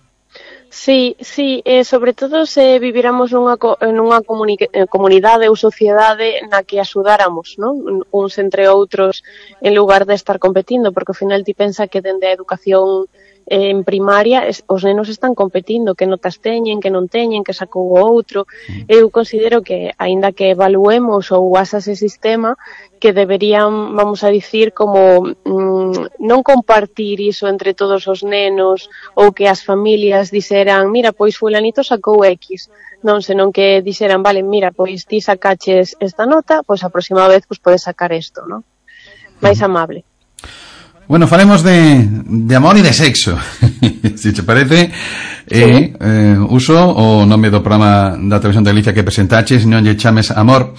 Sí, sí, eh, sobre todo se viviramos nunha, co- nunha comuni eh, comunidade ou sociedade na que axudáramos, non? Uns entre outros en lugar de estar competindo, porque ao final ti pensa que dende a educación eh, en primaria es, os nenos están competindo, que notas teñen, que non teñen, que sacou o outro. Eu considero que, aínda que evaluemos ou asas ese sistema, que deberían, vamos a dicir, como mm, non compartir iso entre todos os nenos ou que as familias dixeran, mira, pois fulanito sacou X, non, senón que dixeran, vale, mira, pois ti sacaches esta nota, pois a próxima vez pois podes sacar isto, non? Máis amable. Bueno, falemos de, de amor e de sexo. Se te parece, eh, eh, uso o nome do programa da televisión de Galicia que presentaches, non lle chames amor.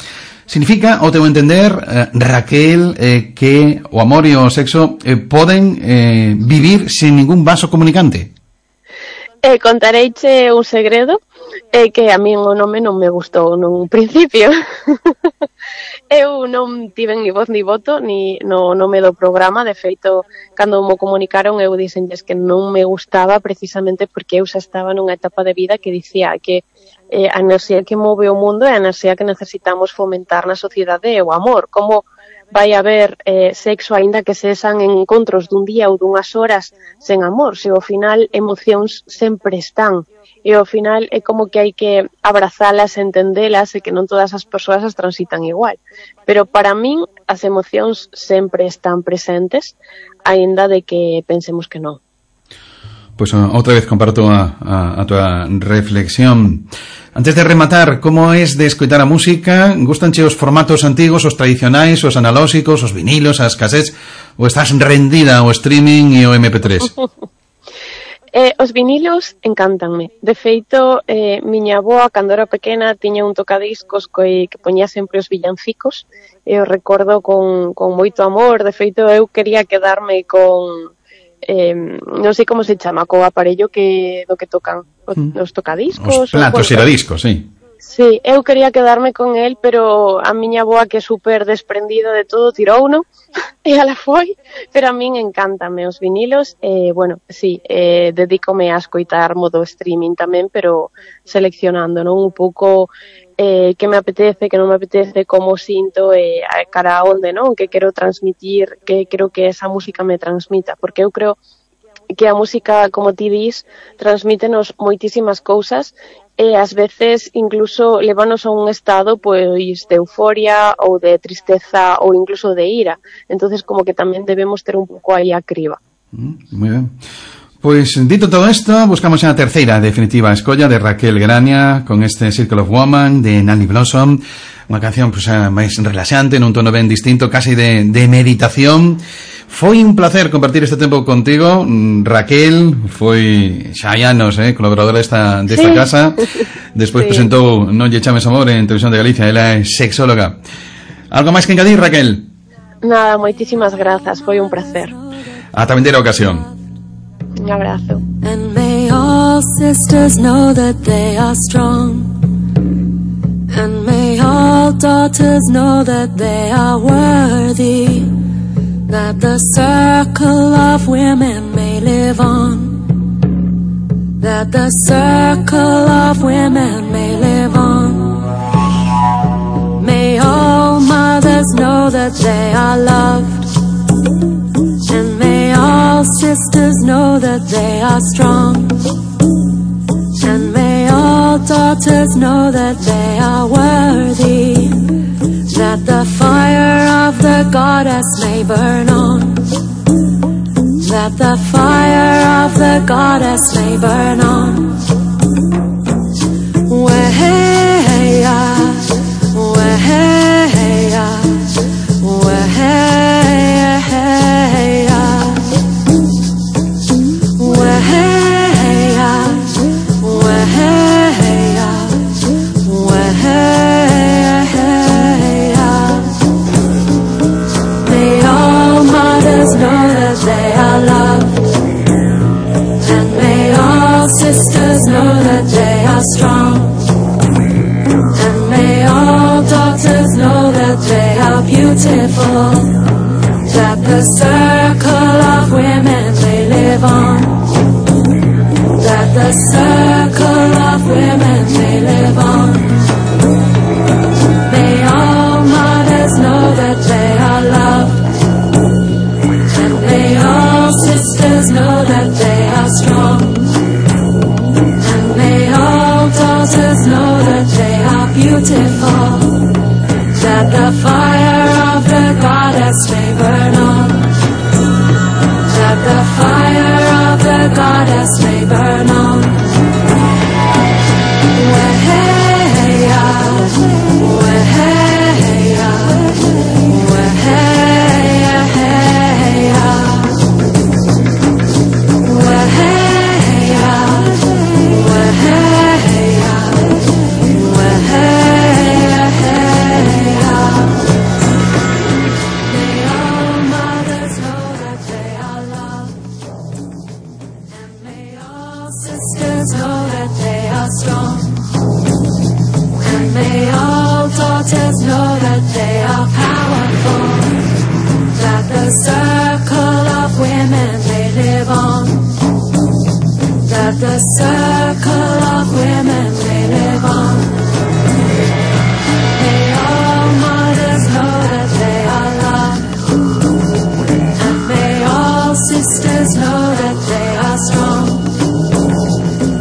Significa, ao teu entender, eh, Raquel, eh, que o amor e o sexo eh, poden eh, vivir sin ningún vaso comunicante? Eh, contareiche un segredo, eh, que a min o nome non me gustou nun principio. Eu non tiven ni voz ni voto ni no nome do programa, de feito, cando mo comunicaron eu dixenlles que non me gustaba precisamente porque eu xa estaba nunha etapa de vida que dicía que eh, a enerxía que move o mundo é a enerxía que necesitamos fomentar na sociedade e o amor. Como vai haber eh, sexo aínda que sexan encontros dun día ou dunhas horas sen amor, se ao final emocións sempre están e ao final é como que hai que abrazalas, entendelas e que non todas as persoas as transitan igual, pero para min as emocións sempre están presentes aínda de que pensemos que non. Pois pues, outra vez comparto a, a, a tua reflexión. Antes de rematar, como es de escoitar a música? Gustanche os formatos antigos, os tradicionais, os analóxicos, os vinilos, as cassettes, ou estás rendida ao streaming e ao eme pe tres? eh, os vinilos encántanme. De feito, eh, miña avoa, cando era pequena, tiña un tocadiscos que, que poñía sempre os villancicos, e o recordo con, con moito amor. De feito, eu quería quedarme con... Eh, non sei como se chama, co aparello que do que tocan os, os tocadiscos, os platos giradiscos, sí. Sí, eu quería quedarme con el, pero a miña avoa, que é super desprendida de todo, tirouno e ala foi, pero a min encántame os vinilos e, eh, bueno, sí, eh, dedícome a escoitar modo streaming tamén, pero seleccionando, non, un pouco eh, que me apetece, que non me apetece, como sinto e eh, cara a onde, non, que quero transmitir, que creo que esa música me transmita, porque eu creo que a música, como ti dis, transmítenos moitísimas cousas e ás veces incluso levanos a un estado pois de euforia ou de tristeza ou incluso de ira. Entonces como que tamén debemos ter un pouco aí a criba. Mm, moi ben. Pois, dito todo isto, buscamos a terceira definitiva escolla de Raquel Grania con este Circle of Woman de Nanny Blossom, unha canción pues, máis relaxante, nun tono ben distinto, casi de, de meditación. Foi un placer compartir este tempo contigo, Raquel. Foi xa hai anos, eh, colaboradora desta, desta sí. casa. Despois sí. presentou Non lle chames amor en Televisión de Galicia. Ela é sexóloga. Algo máis que engadir, Raquel? Nada, moitísimas grazas, foi un placer. Ata vindeira ocasión. Un abrazo. And may all sisters know that they are strong. And may all daughters know that they are worthy. That the circle of women may live on. That the circle of women may live on. May all mothers know that they are loved. And may all sisters know that they are strong. And may all daughters know that they are worthy. That the fire of the goddess may burn on. That the fire of the goddess may burn on. Weheya, weheya, weheya. Sisters know that they are strong. And may all daughters know that they are beautiful. That the circle of women may live on. That the circle of women they live on. May all mothers know that they are loved, and may all sisters know that they are strong, and may all daughters know that they are beautiful, that the fire of the goddess may burn on, that the fire of the goddess may burn on. Weheya, weheya, weheya, heya. Weheya, weheya, weheya, heya. May all mothers know that they are loved, and may all sisters know that they are strong, and may all daughters know that they are powerful, that the circle of women they live on, that the circle of women they live on. May all mothers know that they are loved, and may all sisters know that they are strong,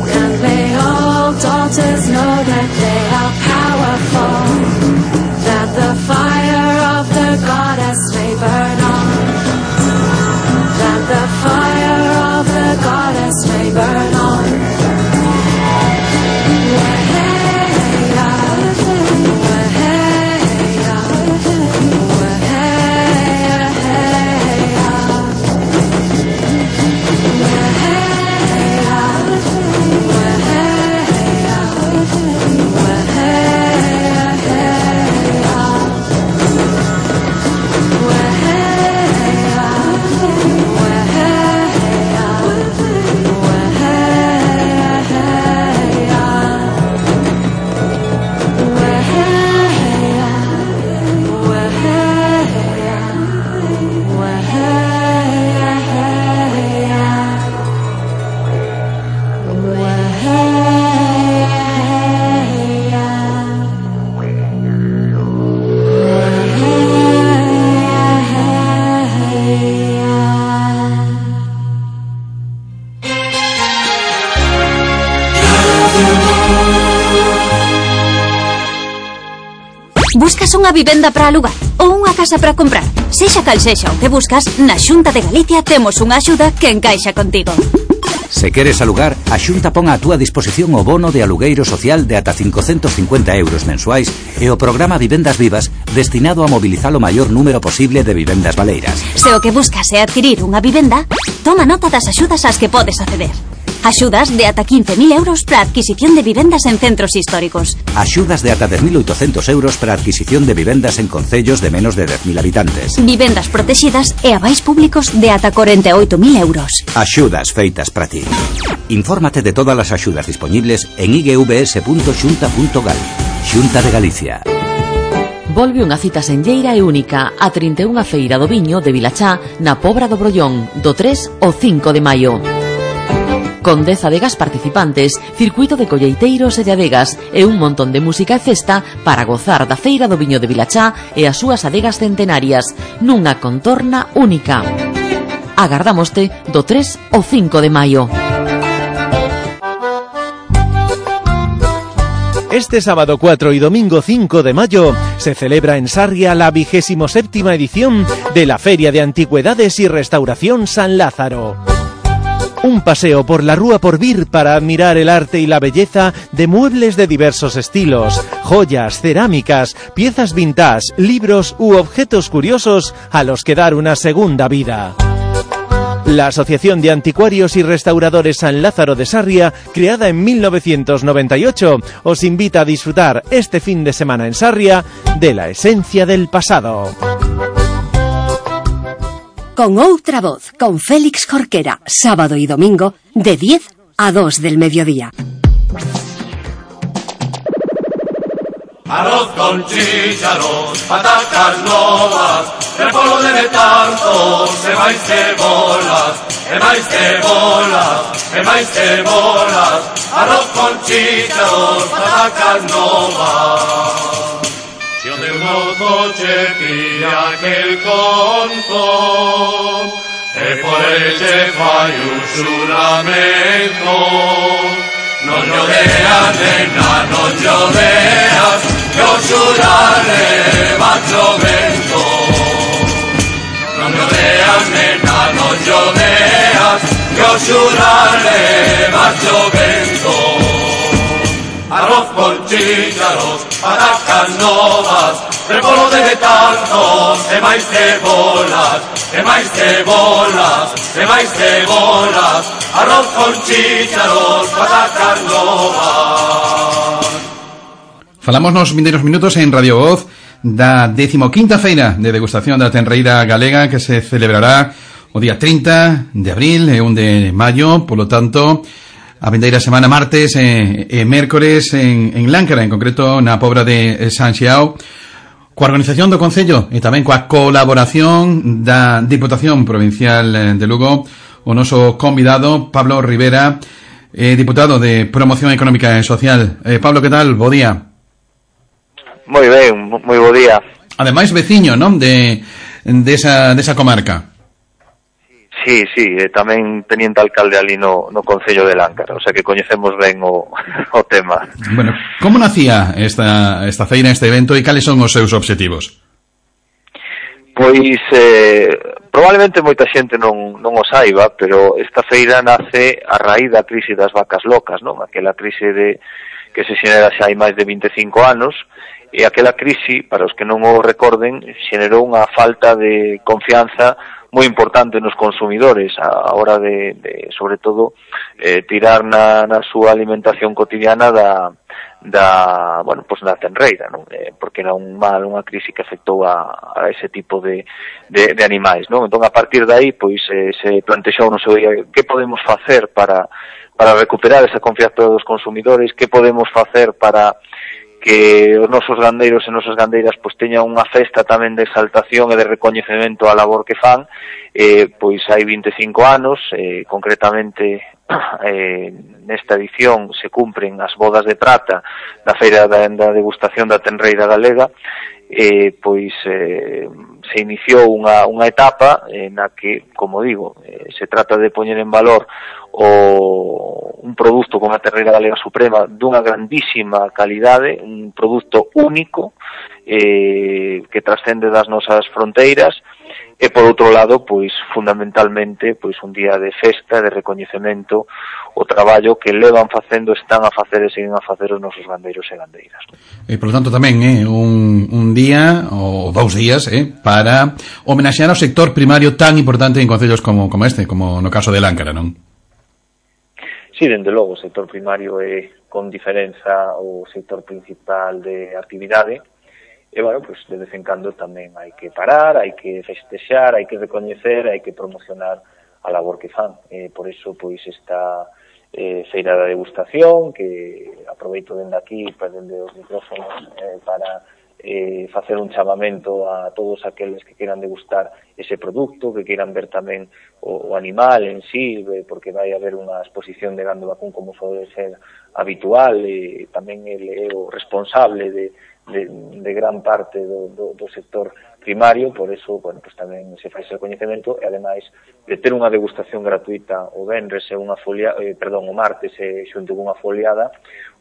and may all daughters know that they are powerful, that the fire of the goddess may burn on, that the fire of the goddess may burn on. Weheya, weheya, weheya, heya. Weheya, weheya, weheya, heya. Weheya, weheya, weheya, heya. Weheya, weheya, weheya, heya. Buscas unha vivenda para alugar ou unha casa para comprar? Sexa cal sexa o que buscas, na Xunta de Galicia temos unha axuda que encaixa contigo. Se queres alugar, a Xunta pon á túa disposición o bono de alugueiro social de ata cincocentos cincuenta euros mensuais e o programa Vivendas Vivas destinado a mobilizar o maior número posible de vivendas baleiras. Se o que buscas é adquirir unha vivenda, toma nota das axudas ás que podes acceder. Axudas de ata quince mil euros para adquisición de vivendas en centros históricos. Axudas de ata dez mil oitocentos euros para adquisición de vivendas en concellos de menos de dez mil habitantes. Vivendas protegidas e avais públicos de ata cuarenta e oito mil euros. Axudas feitas para ti. Infórmate de todas as axudas disponibles en i g v s punto xunta punto gal. Xunta de Galicia. Volve unha cita senlleira e única a trinta e unha Feira do Viño de Vilachá na Pobra do Brollón do tres ao cinco de maio. Con dez adegas participantes, circuito de colleiteiros e de adegas e un montón de música e festa para gozar da Feira do Viño de Vilachá e as súas adegas centenarias nunha contorna única. Agardámoste do tres ao cinco de maio. Este sábado cuatro y domingo cinco de mayo se celebra en Sarria la vigésimo séptima edición de la Feria de Antigüedades y Restauración San Lázaro. Un paseo por la Rúa Porvir para admirar el arte y la belleza de muebles de diversos estilos, joyas, cerámicas, piezas vintage, libros u objetos curiosos a los que dar una segunda vida. La Asociación de Anticuarios y Restauradores San Lázaro de Sarria, creada en mil novecientos noventa y ocho, os invita a disfrutar este fin de semana en Sarria de la esencia del pasado. Con Outra Voz, con Félix Jorquera, sábado y domingo, de diez a dos del mediodía. Arroz con chícharos, patacas novas, repollo de tanto, se va y cebolas, e máis cebolas, e máis cebolas, arroz con chícharos, patacas novas. Si o teu mozo che pilla aquel conto, e por eche fai un xuramento, non lloveas, nena, non lloveas, que o xurare va chovendo. Non lloveas, nena, non lloveas, que o xurare va chovendo. Arroz con chícharos, patacas novas, repolo de betanzos, e máis cebolas, e máis cebolas, e máis cebolas, arroz con chícharos, patacas novas. Falamos nos vindeiros minutos en Radio Voz da decimoquinta feira de degustación da tenreira galega que se celebrará o día trinta de abril e un de maio, polo tanto a vindeira semana martes e, e mércores en, en Láncara, en concreto na Pobra de San Xiao, coa organización do Concello e tamén coa colaboración da Diputación Provincial de Lugo, o noso convidado Pablo Rivera, eh, diputado de Promoción Económica e Social. Eh, Pablo, que tal? Bo día. Moi ben, moi bo día. Ademais, veciño, non? De, de, esa, de esa comarca. Sí, sí, e tamén teniente alcalde ali no, no Concello de Láncara, o sea que coñecemos ben o, o tema. Bueno, como nacía esta, esta feira, este evento, e cales son os seus obxectivos? Pois, eh, probablemente moita xente non, non o saiba, pero esta feira nace a raíz da crise das vacas locas, non? Aquela crise de que se xenera xa hai máis de vinte e cinco anos, e aquela crise, para os que non o recorden, xenerou unha falta de confianza moi importante nos consumidores a hora de, de sobre todo, eh, tirar na, na súa alimentación cotidiana da, da bueno, pues na tenreira, non? Eh, porque era un mal, unha crise que afectou a, a ese tipo de, de, de animais, non? Entón, a partir de aí, pois, eh, se plantexou no seu día, que podemos facer para, para recuperar esa confianza dos consumidores, que podemos facer para que os nosos gandeiros e nosas gandeiras pois teñan unha festa tamén de exaltación e de recoñecemento á labor que fan. Eh, pois hai vinte e cinco anos, eh, concretamente eh, nesta edición se cumpren as bodas de prata da feira da, da degustación da tenreira galega. Eh, pois eh, se iniciou unha, unha etapa eh, na que, como digo, eh, se trata de poñer en valor o un produto como a tenreira galega suprema dunha grandísima calidade, un produto único eh, que trascende das nosas fronteiras, e por outro lado, pois fundamentalmente, pois un día de festa, de recoñecemento o traballo que levan facendo, están a facer e siguen a facer os nosos gandeiros e gandeiras. E por lo tanto tamén é eh, un, un día ou dous días eh, para homenaxear ao sector primario tan importante en concellos como, como este, como no caso de Láncara, non? Sí, dende logo, o sector primario é con diferenza o sector principal de actividade. E, bueno, pues de vez en cando tamén hai que parar, hai que festexar, hai que recoñecer, hai que promocionar a labor que fan. E, por iso, pois, esta eh, feira da degustación, que aproveito dende aquí, pues, dende os micrófonos, eh, para eh, facer un chamamento a todos aqueles que queiran degustar ese produto, que queiran ver tamén o, o animal en sí, porque vai haber unha exposición de gando vacún como pode ser habitual, e tamén ele é o responsable de De, de gran parte do, do, do sector primario, por eso, bueno, pues tamén se fai ese coñecemento, e ademais de ter unha degustación gratuita o venres e unha folia, eh, perdón, o martes e xunto con unha foliada,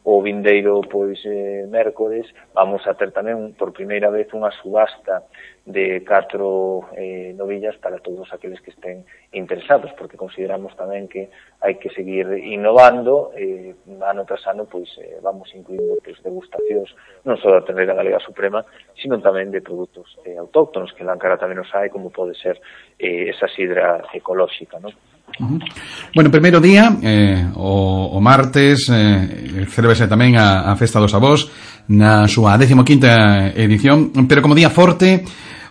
o vindeiro, pois, eh, mércores, vamos a ter tamén por primeira vez unha subasta de catro eh, novillas para todos aqueles que estén interesados, porque consideramos tamén que hai que seguir innovando, eh, ano tras ano, pois, eh, vamos incluindo pois, degustacións non só da tenreira galega suprema, sino tamén de produtos eh, autóctonos, que en Láncara tamén os hai, como pode ser eh, esa sidra ecolóxica, non? Uh-huh. Bueno, primeiro día, eh, o, o martes, eh, celebrase tamén a, a Festa dos Avós na súa decimoquinta edición, pero como día forte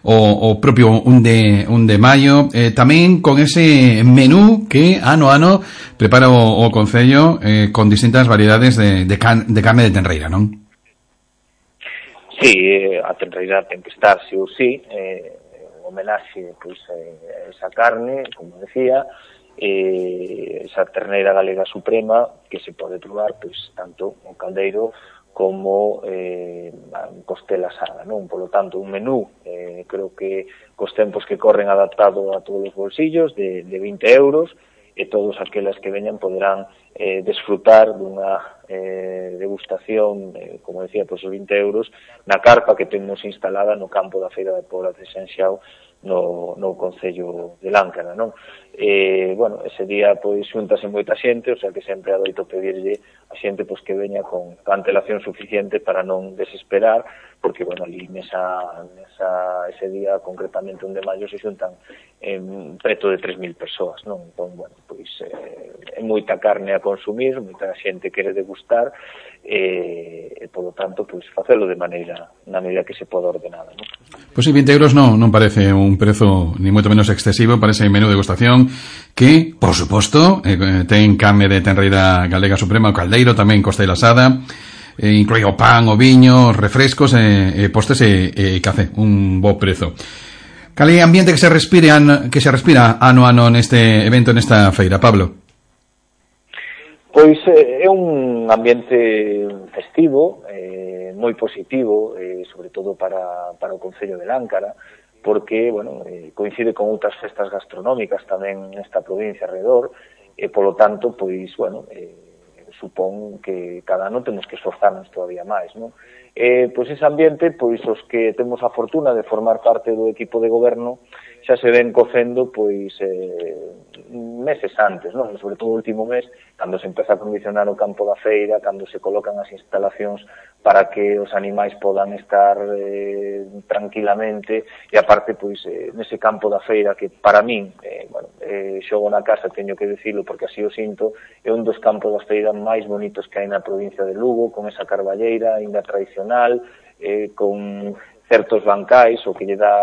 o, o propio un de, un de maio, eh, tamén con ese menú que ano a ano prepara o, o Concello eh, con distintas variedades de, de, can, de carne de tenreira, non? Sí, eh, a tenreira ten que estar, sí ou sí, eh, homenaxe pois, eh, esa carne, como decía, eh, esa terneira galega suprema que se pode probar pois tanto o caldeiro como eh, costela asada, non? Polo tanto, un menú, eh, creo que cos tempos que corren adaptado a todos os bolsillos, de, de vinte euros, e todos aquelas que veñan poderán eh, desfrutar dunha eh, degustación, eh, como decía, pois os vinte euros, na carpa que temos instalada no campo da Feira de Pobra de Sanxiao, no, no Concello de Láncara, non? Eh, bueno, ese día pois xuntase moita xente, o sea que sempre adoito pedirlle a xente pois que veña con antelación suficiente para non desesperar, porque, bueno, ali nesa, nesa, ese día, concretamente un de maio, se xuntan en preto de tres mil persoas, non? Entón, bueno, pois eh, é moita carne a consumir, moita xente quere degustar, e, e polo tanto, pois, facelo de maneira, na medida que se poda ordenada, non? Pois sí, vinte euros non, non parece un prezo ni moito menos excesivo para ese menú de degustación que, por suposto, eh, ten carne de tenreira galega suprema, o caldeiro, tamén costela asada, eh, inclui o pan, o viño, refrescos, eh, eh, postres e eh, eh, café, un bo prezo. Cal é ambiente que se respire an, que se respira ano a ano neste evento, nesta feira, Pablo? Pois eh, é un ambiente festivo, eh, moi positivo, eh, sobre todo para, para o Concello de Láncara, porque, bueno, eh, coincide con outras festas gastronómicas tamén nesta provincia alrededor, e polo tanto, pois, bueno, eh, supón que cada ano temos que esforzarnos todavía máis, non? Eh, pois ese ambiente, pois os que temos a fortuna de formar parte do equipo de goberno xa se ven cocendo pois eh, meses antes, non? Sobre todo o último mes, cando se empeza a condicionar o campo da feira, cando se colocan as instalacións para que os animais podan estar eh, tranquilamente, e aparte, pois, eh, nese campo da feira que para min, eh, bueno, eh, xogo na casa, teño que dicilo porque así o sinto, é un dos campos da feira máis bonitos que hai na provincia de Lugo, con esa carballeira ainda tradicional, eh, con certos bancais, o que lle dá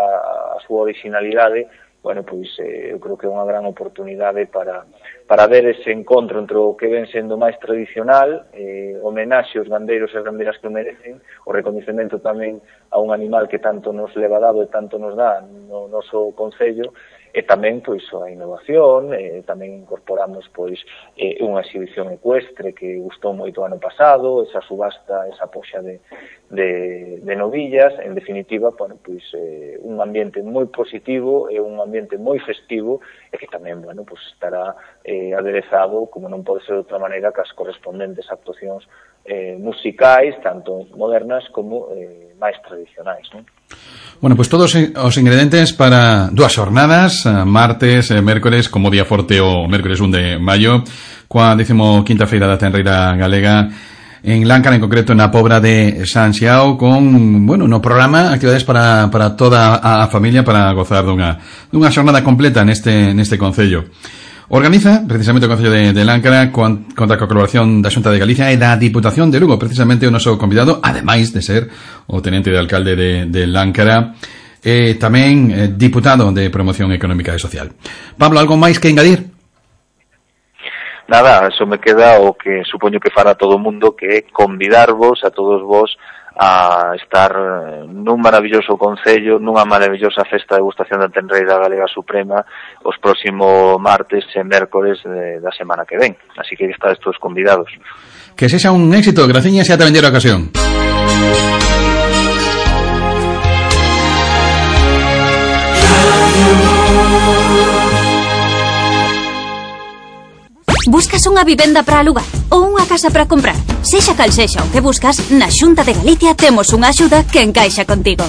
a súa originalidade. Bueno, pois eh, eu creo que é unha gran oportunidade para, para ver ese encontro entre o que ven sendo máis tradicional, eh, homenaxe aos gandeiros e as gandeiras que o merecen, o reconhecemento tamén a un animal que tanto nos leva dado e tanto nos dá no noso concello, e tamén pois a innovación, e tamén incorporamos pois eh, unha exhibición ecuestre que gustou moito ano pasado, esa subasta, esa poxa de, de, de novillas, en definitiva, bueno, pois eh, un ambiente moi positivo e un ambiente moi festivo, e que tamén, bueno, pois estará eh, aderezado, como non pode ser de outra maneira, cas correspondentes actuacións eh, musicais, tanto modernas como eh, máis tradicionais, non? Bueno, pues todos os ingredientes para dúas xornadas, martes e mércores, como día forte o mércores un de maio, coa décimo quinta feira da tenreira galega en Láncara, en concreto na Pobra de Sanxiao, con, bueno, no programa actividades para, para toda a familia para gozar dunha, dunha xornada completa neste, neste concello. Organiza precisamente o Concello de, de Láncara con, contra a colaboración da Xunta de Galicia e da Diputación de Lugo, precisamente o noso convidado, ademais de ser o tenente de alcalde de, de Láncara, e tamén eh, diputado de Promoción Económica e Social. Pablo, algo máis que engadir? Nada, eso me queda o que supoño que fará todo o mundo, que é convidarvos a todos vos a estar nun maravilloso concello, nunha maravillosa festa de degustación da tenreira galega suprema os próximos martes e mércores de, da semana que ven. Así que estades todos convidados. Que sexa un éxito, graciñas e ata vender a ocasión. Buscas unha vivenda para alugar ou unha casa para comprar? Sexa cal sexa o que buscas, na Xunta de Galicia temos unha axuda que encaixa contigo.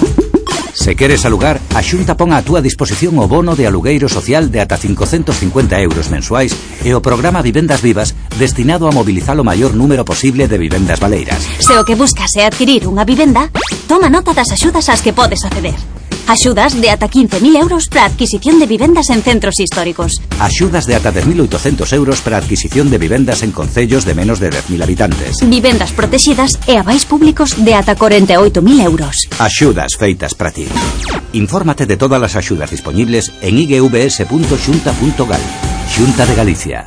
Se queres alugar, a Xunta pon a túa disposición o bono de alugueiro social de ata cincocentos cincuenta euros mensuais e o programa Vivendas Vivas destinado a mobilizar o maior número posible de vivendas baleiras. Se o que buscas é adquirir unha vivenda, toma nota das axudas ás que podes acceder. Axudas de ata quince mil euros para adquisición de vivendas en centros históricos. Axudas de ata dez mil oitocentos euros para adquisición de vivendas en concellos de menos de dez mil habitantes. Vivendas protegidas e avais públicos de ata corenta e oito mil euros. Axudas feitas para ti. Infórmate de todas as axudas disponibles en i g v s punto xunta punto gal. Xunta de Galicia.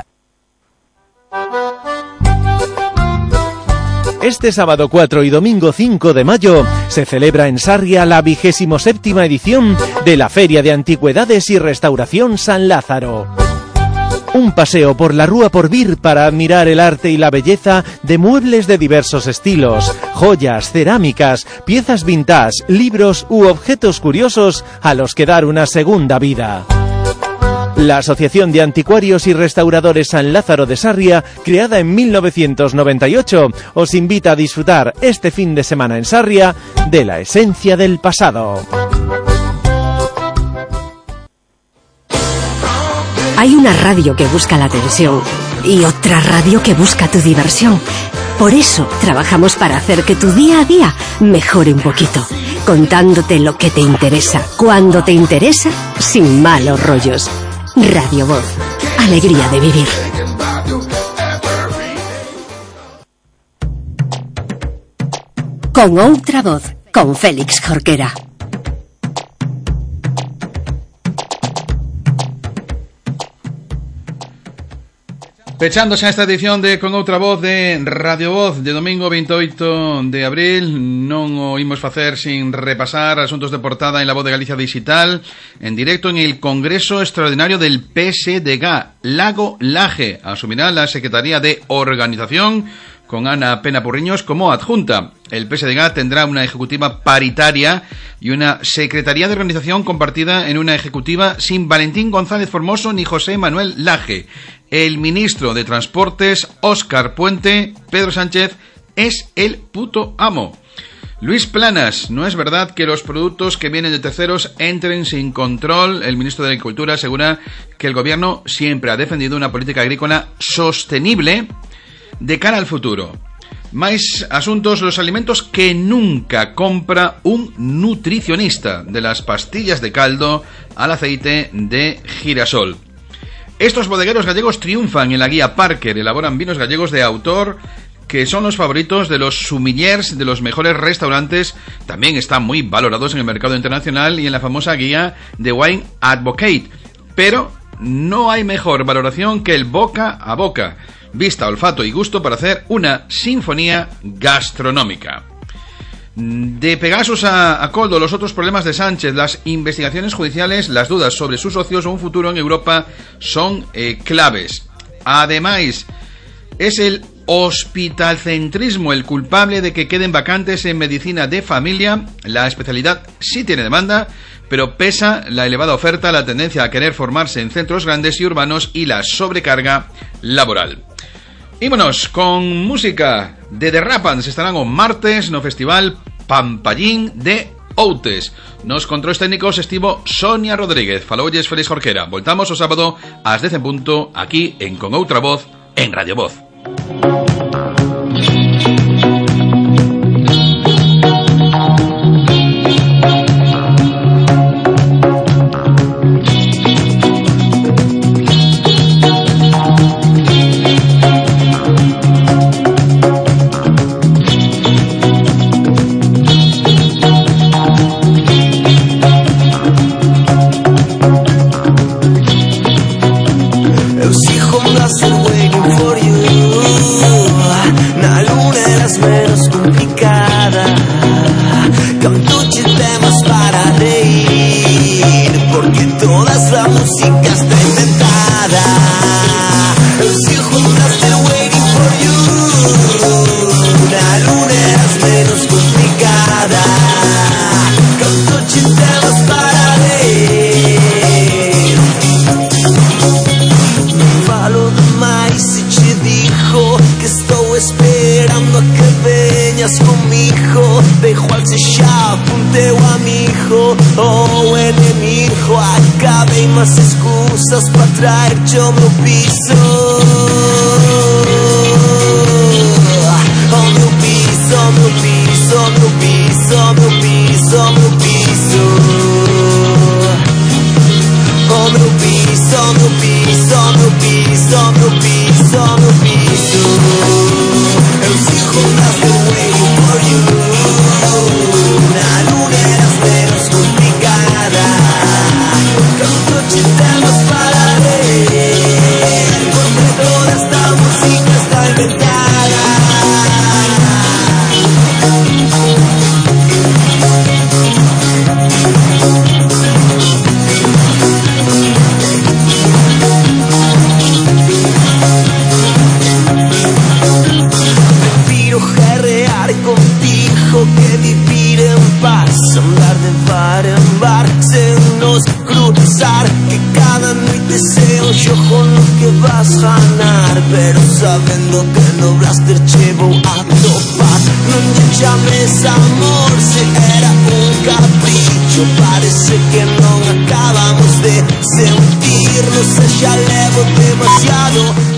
Este sábado cuatro y domingo cinco de mayo se celebra en Sarria la vigésimo séptima edición de la Feria de Antigüedades y Restauración San Lázaro. Un paseo por la Rúa Porvir para admirar el arte y la belleza de muebles de diversos estilos, joyas, cerámicas, piezas vintage, libros u objetos curiosos a los que dar una segunda vida. La Asociación de Anticuarios y Restauradores San Lázaro de Sarria, creada en mil novecientos noventa y ocho, os invita a disfrutar este fin de semana en Sarria de la esencia del pasado. Hay una radio que busca la atención y otra radio que busca tu diversión. Por eso trabajamos para hacer que tu día a día mejore un poquito, contándote lo que te interesa, cuando te interesa, sin malos rollos. Radio Voz, alegría de vivir. Con outra voz, con Félix Jorquera. Pechándose a esta edición de Con Outra Voz de Radio Voz de domingo veintiocho de abril, non o imos facer sin repasar asuntos de portada en La Voz de Galicia Digital, en directo en el Congreso Extraordinario del P S D G. Lago Laje asumirá la Secretaría de Organización con Ana Pena Purriños como adjunta. El P S D G tendrá una ejecutiva paritaria y una secretaría de organización compartida en una ejecutiva sin Valentín González Formoso ni José Manuel Laje. El ministro de Transportes, Óscar Puente, Pedro Sánchez, es el puto amo. Luis Planas, no es verdad que los productos que vienen de terceros entren sin control. El ministro de Agricultura asegura que el gobierno siempre ha defendido una política agrícola sostenible de cara al futuro. Más asuntos, los alimentos que nunca compra un nutricionista, de las pastillas de caldo al aceite de girasol. Estos bodegueros gallegos triunfan en la guía Parker, elaboran vinos gallegos de autor que son los favoritos de los sommeliers de los mejores restaurantes, también están muy valorados en el mercado internacional y en la famosa guía de Wine Advocate, pero no hay mejor valoración que el boca a boca, vista, olfato y gusto para hacer una sinfonía gastronómica. De Pegasus a, a Coldo, los otros problemas de Sánchez, las investigaciones judiciales, las dudas sobre sus socios o un futuro en Europa son eh, claves. Además, es el hospitalcentrismo el culpable de que queden vacantes en medicina de familia. La especialidad sí tiene demanda, pero pesa la elevada oferta, la tendencia a querer formarse en centros grandes y urbanos y la sobrecarga laboral. Ímonos con música de The Rapans. Estarán o martes no festival Pampallín de Outes. Nos controles técnicos estivo Sonia Rodríguez. Faloyes Félix Jorquera. Voltamos o sábado ás dez en punto aquí en Con Outra Voz en Radio Voz. Más excusas para traer yo meu piso. Oh meu piso, meu piso, meu piso, meu piso, meu piso. Oh meu piso, meu piso, meu piso, meu piso, meu piso. Eu sigo still waiting for you. Na luna eras menos complicada. Te damos para ver, porque todo está baixo parece que non acabamos de sentirnos. E xa levo demasiado